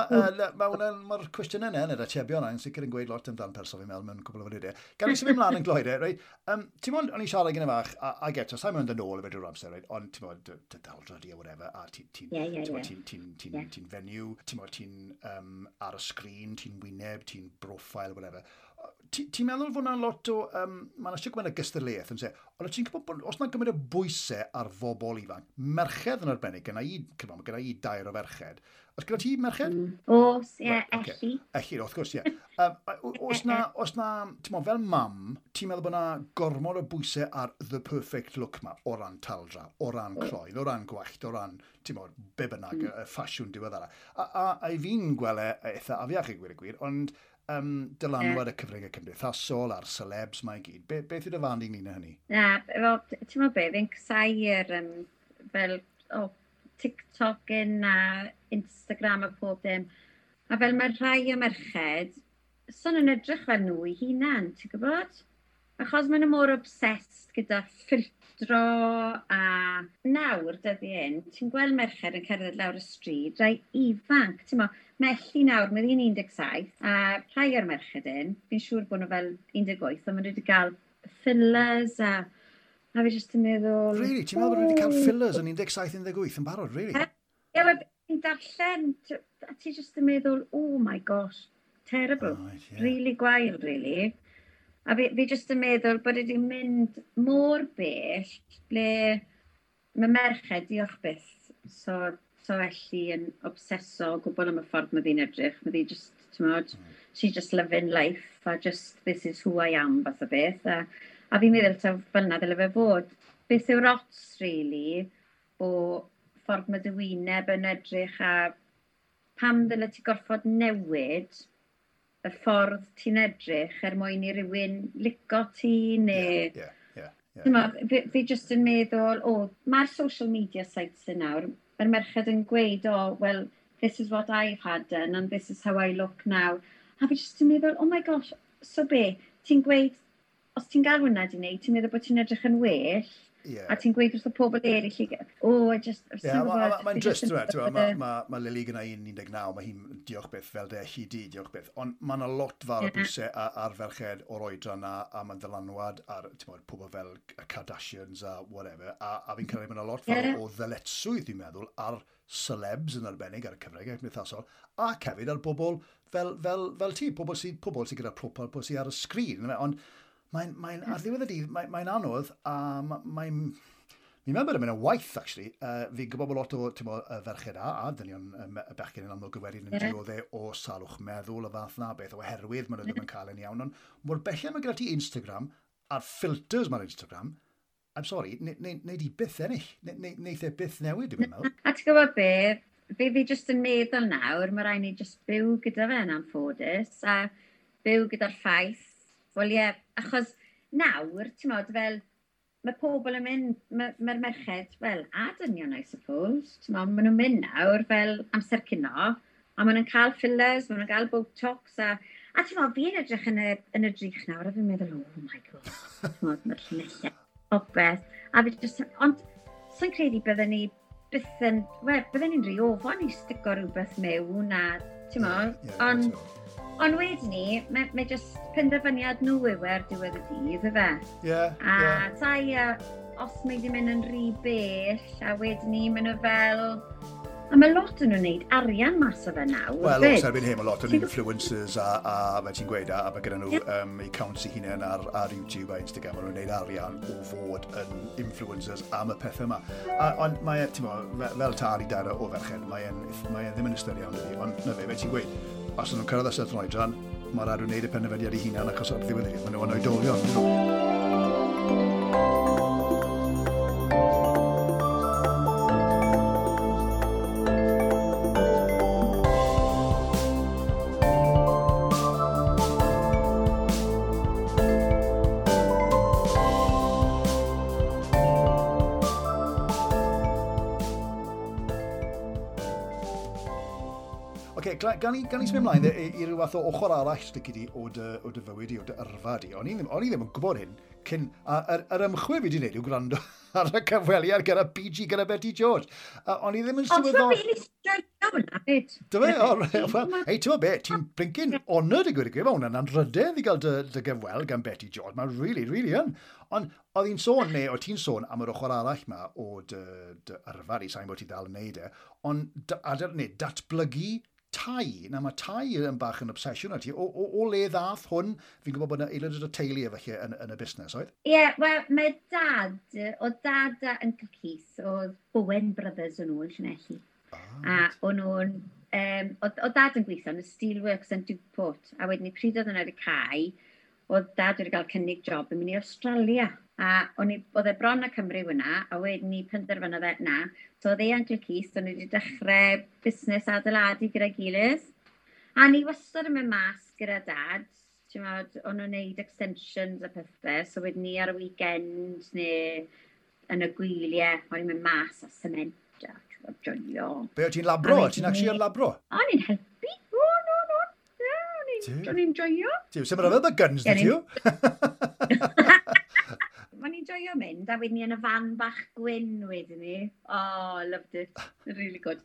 Mae hwnna'n, mae'r cwestiynau yna, neu'r atebion yna, yn sicr yn gweud lot amdan person fi'n meddwl mewn cwbl o funudau. Gan i symud ymlaen yn gloi de, reit? Ti'n modd, o'n i'n siarad gyda fach, a eto, sa'n mynd yn ôl i fe drwy'r amser, reit? Ond ti'n modd, dy daldra di a whatever, a ti'n ti, Ie, ie, ti'n ie. ti'n ti'n ti'n ti'n fenyw, ti'n modd, ti'n ar y sgrin, ti'n wyneb, ti'n profile, whatever. Ti'n meddwl fod 'na lot o... Mae'n eisiau gymaint o gystadleuaeth yn se, ond ti'n gwybod bod os 'na gymaint o bwysau ar fobl ifanc, merched yn arbennig, gyda i, cyfan, gyda i dair o ferched. Os gyda ti merched? Os, ie, Right, ocê. Ellie. Ellie, wrth gwrs, ie. Os na, ti'n meddwl, fel mam, ti'n meddwl bod na gormod o bwysau ar the perfect look ma, o ran taldra, o ran croen, o ran gwallt, o ran, ti'n meddwl, be bynnag, y ffasiwn diweddara. A i fi'n gweld e eitha afiach i gwir y gwir, ond dylanwad y cyfryngau cymdeithasol a'r celebs mae i gyd. Beth yw dy farn di ynglyn â hynny? Na, fel, ti'n meddwl be, fi'n casau'r fel, o, TikTok yn a Instagram a pob dim. A fel mae rhai o merched, so nhw'n edrych fel nhw i hunan, ti'n gwybod? Achos maen nhw mor obsessed gyda ffiltro a nawr dyddi hyn, ti'n gweld merched yn cerdded lawr y stryd, rai ifanc, ti'n mo, mae Ellie nawr, mae hi'n 17, a rhai o'r merched hyn, fi'n siŵr bod nhw fel 18, ond maen nhw wedi cael fillers a fi jyst yn meddwl. Really? Ti'n meddwl bod nhw wedi cael fillers yn 17-18 yn barod, really? Ie, wel, fi'n darllen, a ti jyst yn meddwl, oh my gosh, terrible. Right, ie. Really gwael, really. A fi jyst yn meddwl bod wedi mynd mor bell ble mae merched, diolch byth, so Ellie yn obseso o gwbl am y ffordd mae ddi'n edrych. Mae ddi just, ti'n modd, she's just loving life a just this is who I am fath o beth. A fi'n meddwl taw fel 'na ddyle fe fod. Beth yw'r ots, really, o ffordd mae dy wyneb yn edrych a pam ddyle ti gorfod newid y ffordd ti'n edrych er mwyn i rywun lico ti neu Ie. Yeah. Fi just yn meddwl, o, mae'r social media sites yn nawr, mae'r merched yn gweud, oh, well, this is what I've had done and this is how I look now. A fi just yn meddwl, oh my gosh, so be, ti'n gweud, os ti'n gael hwnna di wneud, ti'n meddwl bod ti'n edrych yn well, yeah. A ti'n gweud wrth y pobl eraill, oh, I just... Yeah, mae'n drist, ti'n mae Lily gyda 19, mae hi'n diolch byth fel de hi di, diolch byth. Ond mae yna lot fawr o bwysau ar ferched o'r oedran na, a mae'n ddylanwad ar bod, pobl fel y Kardashians a whatever. A fi'n credu mae yna lot fawr o ddyletswydd, dwi'n meddwl, ar celebs yn arbennig ar y cyfryngau cymdeithasol, ac hefyd ar bobl fel ti, pobl sydd gyda pobl sydd ar y sgrin. Ond mae'n ar ddiwedd y dydd, mae'n anodd, a mae'n... Fi'n meddwl bod e'n mynd yn waith, actually. Fi'n gwybod bod lot o ferched a dynion y bechgyn yn amlwg wedyn yn dioddef o salwch meddwl y fath na beth, oherwydd maen nhw ddim yn cael yn iawn. Ond mor belled mae gyda ti Instagram, a'r filters mae'r Instagram, I'm sorry, neu di byth ennill, neith e byth newid, dwi'n meddwl. A ti'n gwybod beth, fi just yn meddwl nawr, mae rhaid ni just byw gyda fe yn anffodus, a byw gyda'r ffaith. Wel ie, achos nawr, ti'n modd, fel, mae pobl yn mynd, mae'r merched, wel, a dynion, I suppose, ti'n modd, maen nhw'n mynd nawr fel amser cino, a maen nhw'n cael fillers, maen nhw'n cael Botox, a ti'n modd, fi'n edrych yn y drych nawr, a fi'n meddwl, oh my god, ti'n modd, mae'r llinellau, popeth, a fi just, ond, so'n credu bydden ni byth yn, wel, bydden ni'n rhy ofon i stico rhywbeth mewn, a, ti'n modd, ond... Ond wedyn ni, mae just penderfyniad nhw yw ar diwedd y dydd, yfe? Ie. A tai, os mae wedi mynd yn rhy bell, a wedyn ni, maen nhw fel... A mae lot yn nhw'n gwneud arian mas o fe nawr. Wel, os erbyn hyn, mae lot o'n influencers a fel ti'n gweud, a mae gyda nhw accounts eu hunain ar YouTube a Instagram, maen nhw'n gwneud arian o fod yn influencers am y pethau yma. Ond mae, ti'n mo, fel tad i dair o ferched, mae ddim yn ystyr iawn ydi, ond na fe, fel ti'n gweud, os nhw'n cyrraedd y certain oedran, mae rhaid nhw'n gwneud y penderfyniad eu hunain achos ar ddiwedd y dydd, maen nhw'n oedolion. Gan i symud ymlaen i ryw fath o ochr arall stici di o dy fywyd i, o dy yrfa di. O'n i ddim yn gwybod hyn cyn... Yr ymchwil fi wedi gwneud yw gwrando ar y cyfweliad gyda BG, gyda Betty George. O'n i ddim yn sylweddoli... Ond ti'n beth hwnna, byd. Dy fe? Hei, ti'n be, ti'n blinking honoured i gweud y gwir. Mae hwnna'n anrhydedd i gael dy gyfweld gan Betty George. Mae'n really, really yn. Ond oedd hi'n sôn, neu oedd ti'n sôn am yr ochr arall ma o dy yrfa di, sa'n bod ti dal yn neud e, ond datblygu tai. Na, mae tai yn bach yn obsesiwn ar ti. O le ddath hwn? Fi'n gwybod bod yna aelod o'r teulu efallai yn y busnes, oedd? Ie, yeah, wel, mae dad, o dad a Uncle Keith, oedd Bowen Brothers o'n nhw yn Llanelli. A o'n nhw'n, o dad yn gweithio yn y Steelworks yn Duport, a wedyn ni pryd oedd yna wedi cau, oedd dad wedi cael cynnig job yn mynd i Australia. A oedd e bron a Cymru hwnna, a wedyn ni penderfynodd e na. So oedd e Uncle Keith, o'n nhw wedi dechrau busnes adeiladu gyda'i gilydd. A ni wastad yn mynd mas gyda dad, ti'n meddwl, o'n nhw'n neud extensions a pethau, so wedyn ni ar y weekend neu yn y gwyliau, o'n i'n mynd mas a cement a joio. Be, o ti'n labro? Ti'n actually yn labro? O'n i'n helpu. O, no, no. O'n i'n joio. Tiw, sy'n rhyfedd y guns, dwi ti? O'n i'n joio mynd, a wedyn ni yn y fan bach gwyn wedyn ni. Oh, loved it. Really good.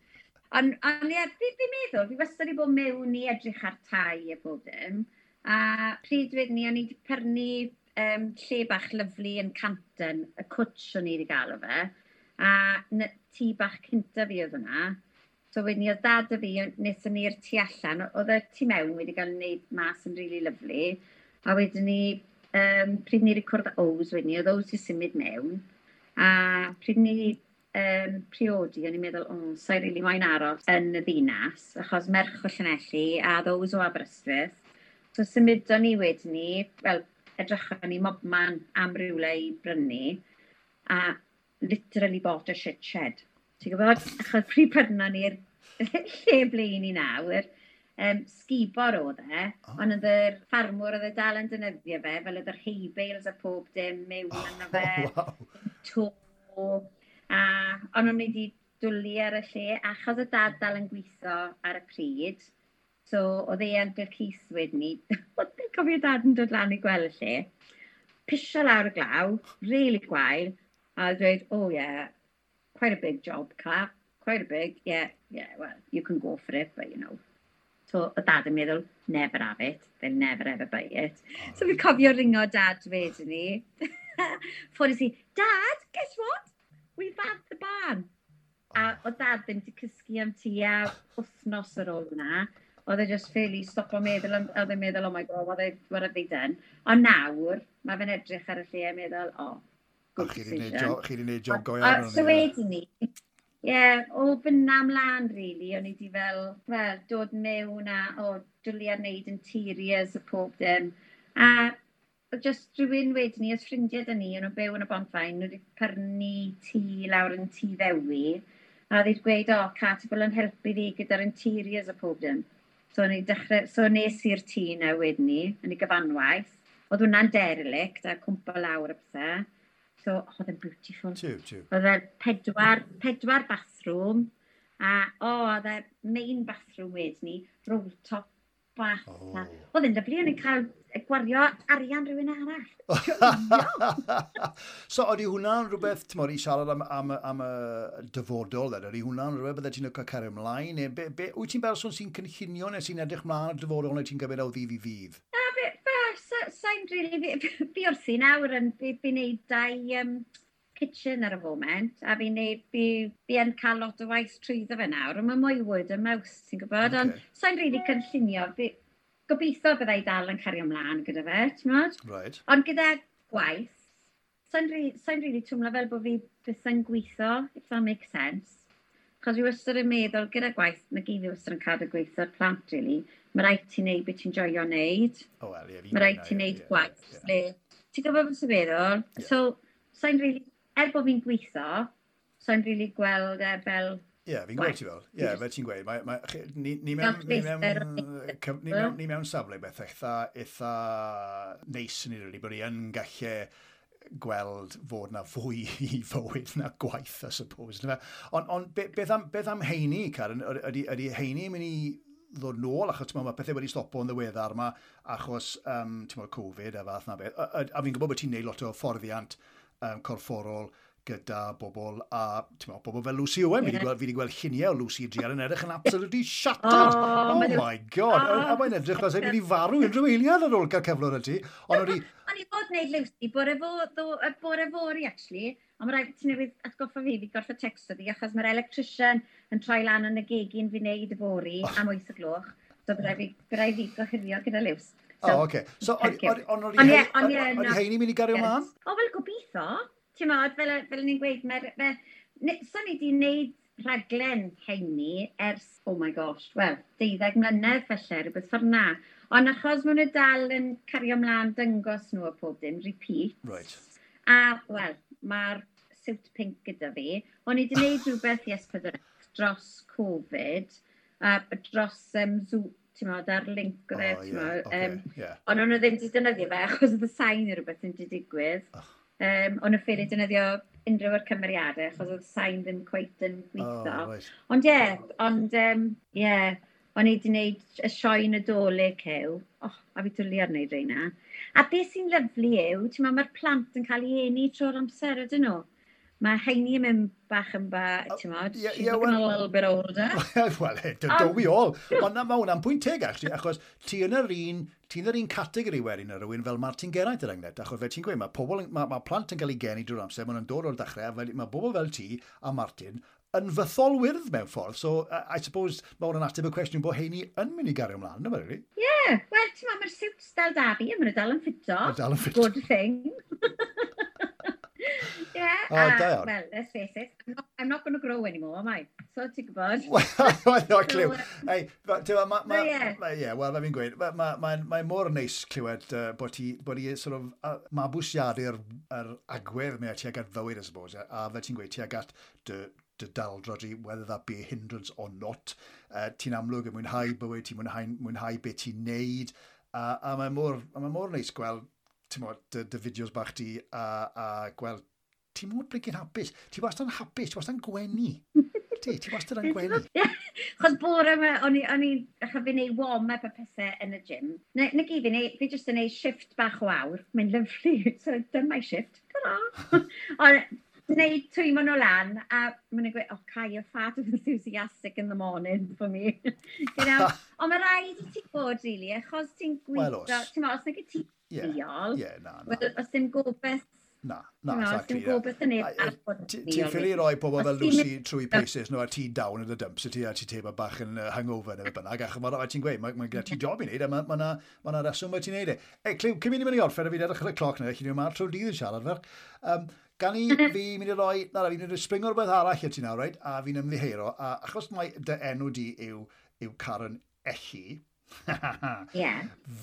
Ond ie, fi'n meddwl, fi wastad i bod mewn i edrych ar tai a bob dim. A pryd wedyn ni, o'n i wedi prynu lle bach lyflu yn Canton, y cwtsh o'n i wedi gael o fe. A tŷ bach cynta fi oedd hwnna. So wedyn ni, oedd dad a fi, wnaethon ni'r tu allan, oedd y tu mewn wedi cael ei wneud mas yn really lyflu. A wedyn ni, pryd ni wedi cwrdd Ows wedyn ni, oedd Ows i symud mewn. A pryd ni priodi, o'n i'n meddwl, o, sa'i rili moyn aros yn y ddinas, achos merch o Llanelli a oedd Ows o Aberystwyth. So symudon ni wedyn ni, wel, edrychon ni mobman am rywle i brynu, a literally bought a shit shed. Ti'n gwybod? Achos pryd prynon ni'r lle ble i ni nawr, Sgubor oedd e, ond oedd yr ffarmwr oedd e dal yn defnyddio fe, fel oedd yr hay bales a pob dim mewn yno fe. To, a ond o'n i wedi dwlu ar y lle, achos y dad dal yn gweithio ar y pryd, so oedd e Uncle Keith wedyn ni, oedd e'n cofio dad yn dod lan i gweld y lle, pisio lawr y glaw, really gwael, a dweud, "Oh yeah, quite a big job, Cat, quite a big, yeah, well, you can go for it, but you know." So, o dad yn meddwl, "Never have it, they'll never ever buy it." So fi'n cofio ringo dad wedyn ni. Ffones i, "Dad, guess what? We've had the barn." A o dad ddim wedi cysgu am tua wythnos ar ôl hwnna. Oedd e just ffili stopo meddwl, oedd e'n meddwl, "Oh my God, what have they done?" Ond nawr, mae fe'n edrych ar y lle a meddwl, "Oh, good decision." Chi wedi gwneud job go iawn. So wedyn ni, ie, yeah, o fyna mlaen, really, o'n i wedi fel, well, dod mewn a, o, dwlu ar wneud interiors a pob dim. A just rhywun wedyn ni, os ffrindiau dyn ni, o'n nhw'n byw yn y Bont-faen, nhw wedi prynu tŷ lawr yn Tŷ Ddewi, a oedd wedi gweud, "O, Cat, ti bod yn helpu fi gyda'r interiors a pob dim." So, o'n i dechrau, so nes i'r tŷ na wedyn ni, yn ei gyfanwaith. Oedd hwnna'n derelict a cwmpa lawr a pethau. So, oedd e'n beautiful. Tiw, tiw. Oedd e pedwar bathroom, a o, oedd e main bathroom wedyn ni, roll top bath. Oh. Oedd e'n lyfli, o'n i'n cael gwario arian rhywun arall. So, ydy hwnna'n rhywbeth, ti'n i siarad am y dyfodol, then, ydy hwnna'n rhywbeth bydde ti'n cael cario ymlaen? Neu, wyt ti'n berson sy'n cynllunio neu sy'n edrych mlaen y dyfodol neu ti'n gymryd o ddydd i ddydd? Na, sa'n really, fi wrthi nawr yn, fi wneud dau kitchen ar y foment, a fi'n neud, fi yn cael lot o waith trwyddo fe nawr, ond mae mwy word of mouth, ti'n gwybod, okay. Ond sa'n really cynllunio, fi, gobeithio byddai dal yn cario ymlaen gyda fe, ti'n gwybod? Right. Ond gyda gwaith, sa'n sa really twmlo fel bod fi byth yn gweithio, if that makes sense. Chos fi wastad yn meddwl, gyda gwaith, mae gyd fi wastad yn cadw gweithio'r plant, really. Mae rhaid ti wneud beth ti'n joio wneud. Oh, well, yeah, mae rhaid ti wneud gwaith. Yeah. Ti'n gwybod beth sy'n meddwl? Yeah. So, sa'n really, er bod fi'n gweithio, sa'n really gweld e fel. Ie, yeah, fi'n gweld ti fel. Ie, yeah, fel ti'n gweud. Ni mewn safle beth eitha neis yn ei bod ni yn gallu gweld fod na fwy i fywyd na gwaith, I suppose. Ond beth am heini, Karen? Ydy heini yn mynd i ddod nôl, achos mae pethau wedi stopo yn ddiweddar yma, achos ti'n Covid a fath na beth. A fi'n gwybod bod ti'n neud lot o fforddiant corfforol gyda bobl a ti'n meddwl, bobl fel Lucy Owen. Fi wedi gweld lluniau o Lucy Drian yn edrych yn absolutely shattered. Oh my God. Oh. A mae'n edrych fel sy'n mynd i farw unrhyw eiliad ar ôl cael cyflwr y ti. Ond o'n i fod wneud Lucy bore fory, actually. Ond mae rhaid ti newydd atgoffa fi, fi gorfod texto fi, achos mae'r electrician yn troi lan yn y gegin fi wneud y fory am 8 o gloch. So bydd fi gohirio gyda Lucy. So, oh, okay. So, ond oedd heini mynd i gario mlaen? O, wel, gobeithio. Ti'n modd, fel ni'n gweud, so ni wedi wneud rhaglen heini ers, oh my gosh, wel, 12 mlynedd felly, rhywbeth ffordd na. Ond achos maen nhw dal yn cario mlaen dyngos nhw a pob dim, repeat. A, wel, mae'r siwt pink gyda fi. O'n i wedi gwneud rhywbeth i S4C dros Covid, a dros Zoom, ti'n modd, ar link o fe, ti'n modd. Ond o'n nhw ddim wedi defnyddio fe, achos oedd y sain neu rhywbeth yn wedi digwydd. Oh. O'n nhw ffili defnyddio unrhyw o'r cymeriadau, achos oedd sain ddim cweit yn gweithio. Oh, right. Ond ie, yeah, ond yeah, o'n i wedi gwneud y sioe Nadolig hew. Oh, a fi dwlu ar wneud reina. A beth sy'n lyfli yw, ti'n meddwl, mae'r plant yn cael ei eni trwy'r amser, ydyn nhw? Mae heini yn mynd bach yn ba, ti'n modd, she's looking a little bit older. Well, don't we all? Ond na, mae hwnna'n pwynt teg, actually, achos ti yn yr un, ti'n yr un categori wedyn ar rhywun fel Martin Geraint er enghraifft, achos fe ti'n gweud, mae plant yn cael ei geni drwy'r amser, maen nhw'n dod o'r dechrau, a mae bobl fel ti a Martin yn fytholwyrdd mewn ffordd. So, I suppose, mae hwnna'n ateb y cwestiwn bod heini yn mynd i gario ymlaen, yma, really? Ie, yeah, wel, ti'n meddwl, mae'r siwt dal da fi, a maen nhw dal yn ffito. Dal yn ffito. Good thing. Yeah, oh, da iawn. Well, let's face it, I'm not going to grow anymore, am I? So ti'n gwybod. Wel, no, clyw. Hey, yeah, wel, fe fi'n gweud, mae mor neis clywed bod ti sort of, mabwysiadu'r er agwedd mae tuag at fywyd, I suppose, a fel ti'n gweud, tuag at dy dy daldra di, whether that be a hindrance or not. Ti'n amlwg yn mwynhau bywyd, ti'n mwynhau beth ti'n neud, a mae mor neis gweld, ti'n mo, dy fideos bach di, a gweld, ti'n mor blinking hapus. Ti wastad yn hapus, ti wastad yn gwenu. Ti wastad yn gwenu. Chos bore yma, o'n i, achos fi'n neud warm-up a pethau yn y gym. Na gyd fi'n neud, fi jyst yn neud shift bach o awr. Mae'n lyfli, so done my shift. Ta-ra! Ond neud twymo nhw lan, a maen nhw'n gweud, "Oh, Kai, you're far too enthusiastic in the morning for me." You know? Ond mae rhaid i ti bod, really, achos ti'n Wel, gweithio, oes. ti'n meddwl, os nag ti ddiol, Ie, na, na. wel, os dim gobeith, Na, na, ti'n meddwl, os exactly. dim gobeith yn neb arall bod yn Ti'n ddiol, ffili really. roi pobl fel Os ti'n Lucy trwy paces nhw a ti down in the dumps, a ti teimlo bach yn hungover neu beth bynnag, achos ti'n gweud, mae gyda ti job i wneud, a ma reswm mae ti'n neud e. Ei, Clyw, cyn mynd i mynd i orffen, a fi'n edrych ar y cloc nawr, chi'n mynd trwy'r dydd yn siarad ferch. Gan i fi mynd i roi, na, fi'n mynd i springo rhywbeth arall i ti nawr, right? A fi'n ymddiheuro, a achos mai dy enw di yw Karen Elli,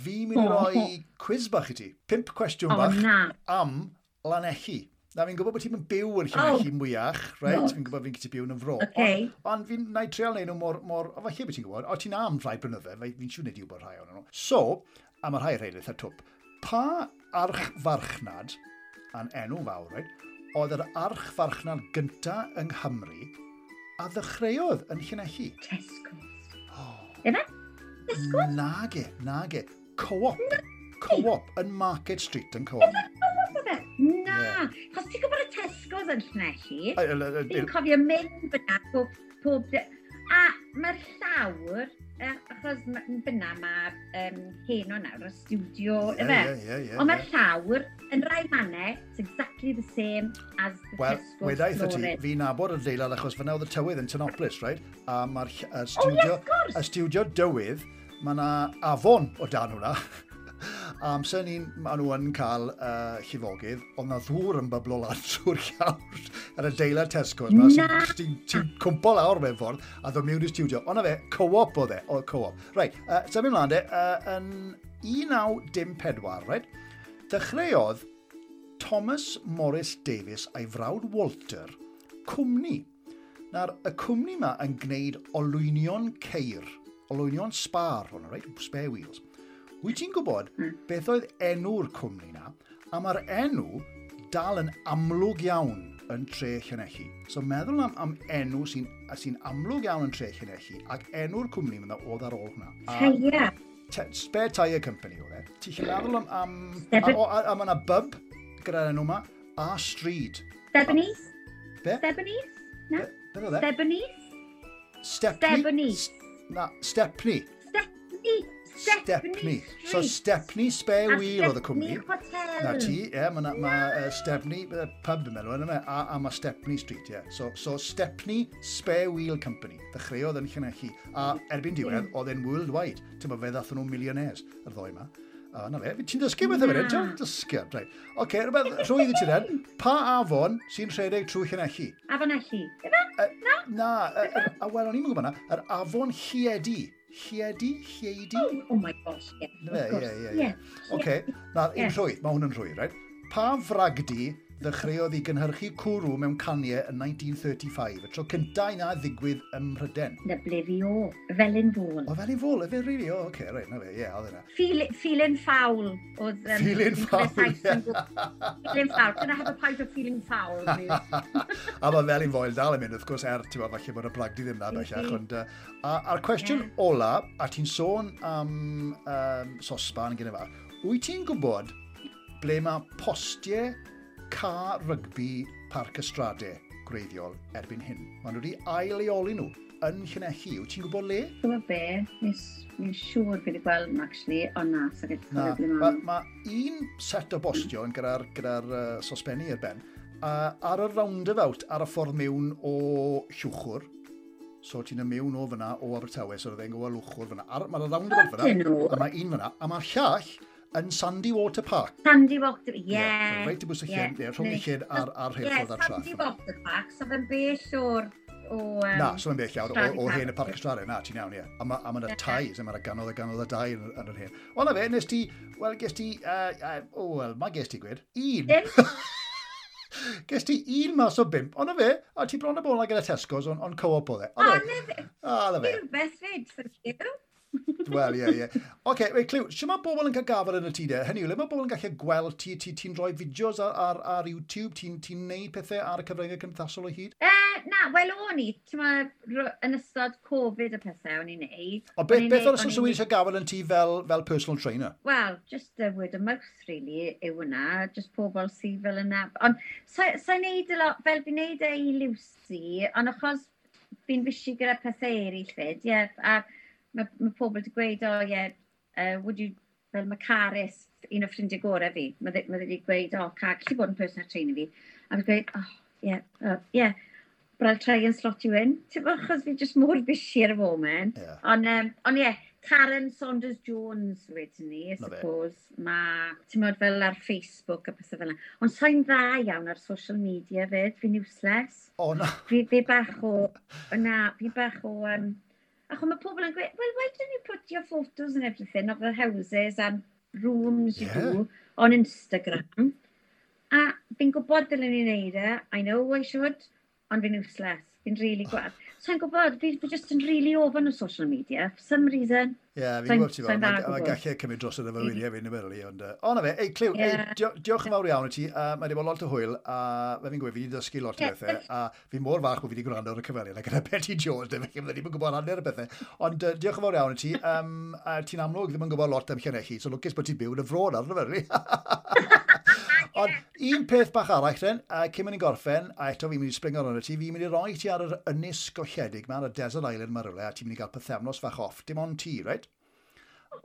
fi'n mynd i roi quiz bach i ti. 5 cwestiwn O, bach na. am Lanelli. Na, fi'n gwybod bod ti'n byw yn Llanelli mwyach, right? No. Fi'n gwybod fi'n gallu byw yn y fro. Okay. Ond fi'n na i treial neud nhw mor. O, falle beth ti'n gwybod. O, ti'n am rhai blynydde, fi'n siŵr neud i wybod rhai ohonyn nhw. So, a mae rhai rhaid eitha twp. Pa archfarchnad, a'n enw fawr, right, oedd yr archfarchnad gynta yng Nghymru a ddechreuodd yn Llanelli? Tesco's. Efe? Tesco's? Nage, nage. Co-op. Co-op yn Market Street yn Co-op. Oedd e? Na. Chos ti'n gwybod y Tesco's yn Llanelli? Fi'n cofio mynd fyna pob. A mae'r llawr, achos fyna mae hen o nawr, y studio, efe? Ie. Ond mae'r llawr yn rai mannau, it's exactly the same as the Wel, Tesco's wedaith y ti, flooring. fi'n nabod yr adeilad achos fyna oedd y tywydd yn Tinopolis, right? A mae'r Oh, studio, yes, of course. y studio dywydd, mae yna afon o dan hwnna. A amser ni'n, maen nhw yn cael llifogydd, ond na ddŵr yn byblo lan trwy'r llawr ar adeilad Tesco's. Ma, Na. Ti'n cwmpo lawr mewn ffordd a ddod mewn i'r studio. Ond na fe, co-op oedd e, o co-op. Right, symud ymlaen de, yn 1914, right, dechreuodd Thomas Morris Davies a'i frawd Walter cwmni. Nawr, y cwmni yma yn gwneud olwynion ceir, olwynion spar, hwnna, right? Spare wheels. Wyt ti'n gwybod beth oedd enw'r cwmni na? A mae'r enw dal yn amlwg iawn yn tre Llanelli. So meddwl am enw sy amlwg iawn yn tre Llanelli, ac enw'r cwmni yma oedd ar ôl hwnna. Tyre. Spare Tyre Company oedd e. Ti'n gallu meddwl am a mae yna bub gyda'r enw yma, a stryd. Stebanese? Be? Stebanese? Na? Beth oedd e? Stebanese? Stepney? Stebanese. Na, Stepney. Stepney. Stepney. So Stepney Spare A Wheel oedd y cwmni. Stepney Hotel. Na ti, ie, mae ma, Stepney, pub yn meddwl, yna, a mae Stepney Street, ie. So Stepney Spare Wheel Company, ddechreuodd yn Llanelli, a erbyn diwedd, oedd e'n worldwide. Ti'n bod, fe ddathon nhw millionaires, yr ddoi yma. A na fe, ti'n dysgu beth efo hyn, ti'n dysgu, reit. Oce, rhywbeth rhwydd i ti then. Pa afon sy'n rhedeg trwy Llanelli? Afon Elli. Ife? Na? Na, a wel, o'n i'n gwybod na, yr afon Lliedi. Lliedi? Lleidi? Oh my gosh, ie. Na fe, Of course. ie. Oce, na, un rhwydd, mae hwn yn rhwydd, right? Pa fragdi ddechreuodd i gynhyrchu cwrw mewn caniau yn 1935, y tro cyntaf i na ddigwydd ym Mhryden? Na ble fi o. Felin Fôl. O, Felin Fôl, efe, really? O, oce, reit, na fe, ie, oedd yna. Feeling foul oedd... Feeling foul, ie. Feeling foul. Can I have a pint of feeling foul, please? A mae Felin Foel dal yn mynd, wrth gwrs, er, ti'n falle bod y bragdi ddim na bellach, ond... A'r cwestiwn ola, a ti'n sôn am sosban gyda fa, wyt ti'n gwybod ble mae postiau ca rygbi Parc y Strade gwreiddiol erbyn hyn? Maen nhw wedi ail-leoli nhw yn Llanelli. Wyt ti'n gwybod le? Ti'n gwybod be? Mi'n siŵr fi wedi gweld nhw, actually, ond na, so gallu Na, cofio ble mae maen nhw. ma un set o bostio yn gyda sosbenni ar ben, a ar y roundabout ar y ffordd mewn o Llwchwr, so ti'n mewn o fyna o Abertawe, so roedd e'n gwybod Llwchwr fyna. Mae'r roundabout fyna, Ydyn nhw? a mae un fyna, a mae'r llall yn Sandy Water Park. Sandy Water, ie. So reit i bwys y llyn, ie, rhwng y llyn a'r rheilffordd a'r traff. Ie, Sandy Water Park, so fe'n bell o'r... Na, so fe'n bell iawn, o hen y Parc y Strade, na, ti'n iawn, ie. A mae yna tai, so mae'na ganodd a ganodd o dai yn yr hen. O, na fe, nes ti, wel, ges ti, o, wel, mae ges ti gwed, un. Dim. Ges ti 1 mas o 5, ond fe, a ti bron y bol gyda Tesco's, ond co-op oedd e. O, na fe. O, na fe. Rhywbeth fyd, thank you. Wel, ie, ie. Oce, wait, Cliw, sut mae bobl yn cael gafel yn y tŷ de? Hynny yw, le mae bobl yn gallu gweld ti, ti'n rhoi fideos ar YouTube, ti'n ti neud pethau ar y cyfryngau cymdeithasol o hyd? Na, wel o'n i, ti'n ma, yn ystod Covid y pethau o'n i'n neud. O, beth o'r ystod sy'n eisiau gafel yn ti fel personal trainer? Wel, just the word of mouth, really, yw hwnna. Just pobl sydd fel yna. Ond, sa'n neud a lot, fel fi'n neud e i Lucy, ond achos fi'n busy gyda pethau eraill fyd, ie, a mae pobl wedi gweud, oh yeah, would you, fel mae Caris, un o ffrindiau gorau fi, mae wedi gweud, oh, Car, gallu bod yn personal trainer fi. A fi'n gweud, oh, yeah, yeah, but I'll try and slot you in. Ti'n bod, achos fi just mor busy ar y foment. Yeah. Ond yeah, Karen Saunders Jones wedyn ni, I suppose. Mae, ti'n bod, fel ar Facebook a pethau fel yna. Ond sa'n dda iawn ar social media fyd, fi'n useless. O, na. Fi bach o, na, fi bach o, achos mae pobl yn gweud, well, why don't you put your photos and everything of the houses and rooms you do on Instagram? A fi'n gwybod dylen ni wneud e, I know I should, ond fi'n useless. Fi'n really gwad. So i'n gwybod, fi just yn really ofn o social media, for some reason. Ie, yeah, fi'n gwybod ti fel, mae gallu cymryd dros y efo wyliau fi'n ymwneud, ond... O, na fe, ei, Cliw, diolch yn fawr iawn i ti, mae wedi bod lot o hwyl, a fe fi'n gweud, fi wedi dysgu lot o bethau, a fi mor fach bod fi wedi gwrando ar y cyfweliad, gyda Betty Jones, de, felly ddim yn gwybod hanner y bethau. Ond diolch yn fawr iawn i ti, ti'n amlwg ddim yn gwybod lot am Llanelli, so lwcus bod ti'n byw yn y fro nawr, na fe, Ond un peth bach arall, then, cyn mynd i'n gorffen, a eto fi'n mynd i springo arno ti, fi'n mynd i roi ti ar yr ynys golledig ma, ar y desert island ma rhywle, a ti'n mynd i gael pythefnos fach off, dim ond ti, right?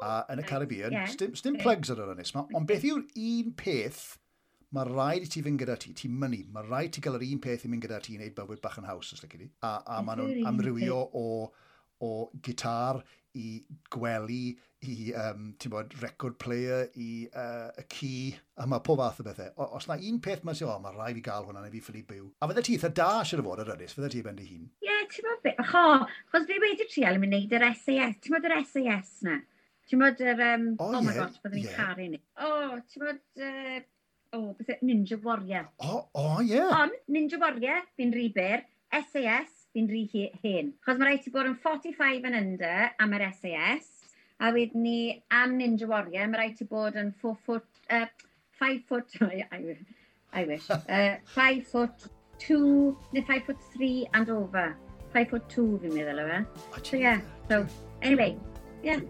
A yn y Caribbean, sdim plugs ar yr ynys ma, ond beth yw'r un peth mae rhaid i ti fynd gyda ti, ti'n mynnu, mae rhaid ti gael yr un peth i mynd gyda ti i wneud bywyd bach yn haws, os lici di. A maen nhw'n amrywio o gitar i gwely, i ti'n bod, record player, i y ci, a mae pob fath o bethau. Os na un peth mae'n sy'n, o, mae rhaid fi gael hwnna neu fi ffili byw. A fydde ti eitha da siwr o fod ar ynys, fydde ti ben dy hun? Ie, yeah, ti'n bod beth, chos fi wedi trial yn mynd yr SAS, ti'n bod yr SAS na? Ti'n bod yr, oh my gosh, byddwn ni'n caru ni. O, ti'n bod, beth Ninja Warrior. O, ie. Ond, Ninja Warrior, fi'n rhy byr, SAS, fi'n rhy hen. Chos mae rhaid ti bod yn 45 and under am yr SAS, a wedyn ni am Ninja Warrior, mae rhaid ti bod yn 4 foot, 5 foot, I wish, 5 foot 2, neu 5 foot 3 and over. 5 foot 2 fi'n meddwl o fe. So yeah, so anyway, yeah.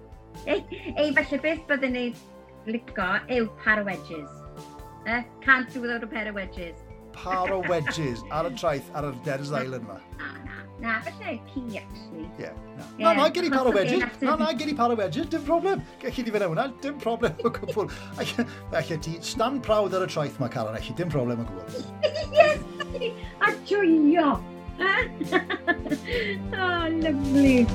Ei, falle beth byddwn ni licio yw par o wedges. Can't do without a pair of wedges. Par o wedges ar y traeth, ar y Desert Island ma. Na, falle ci, actually. Ie, na. Na, na, gyd i par o wedges. Na, gyd i par o wedges, dim problem. Gelli di fynd hwnna, dim problem o gwbl. Alle ti stand proud ar y traeth ma, Karen, allu, dim problem o gwbl. Yes! A joio! Oh, lovely.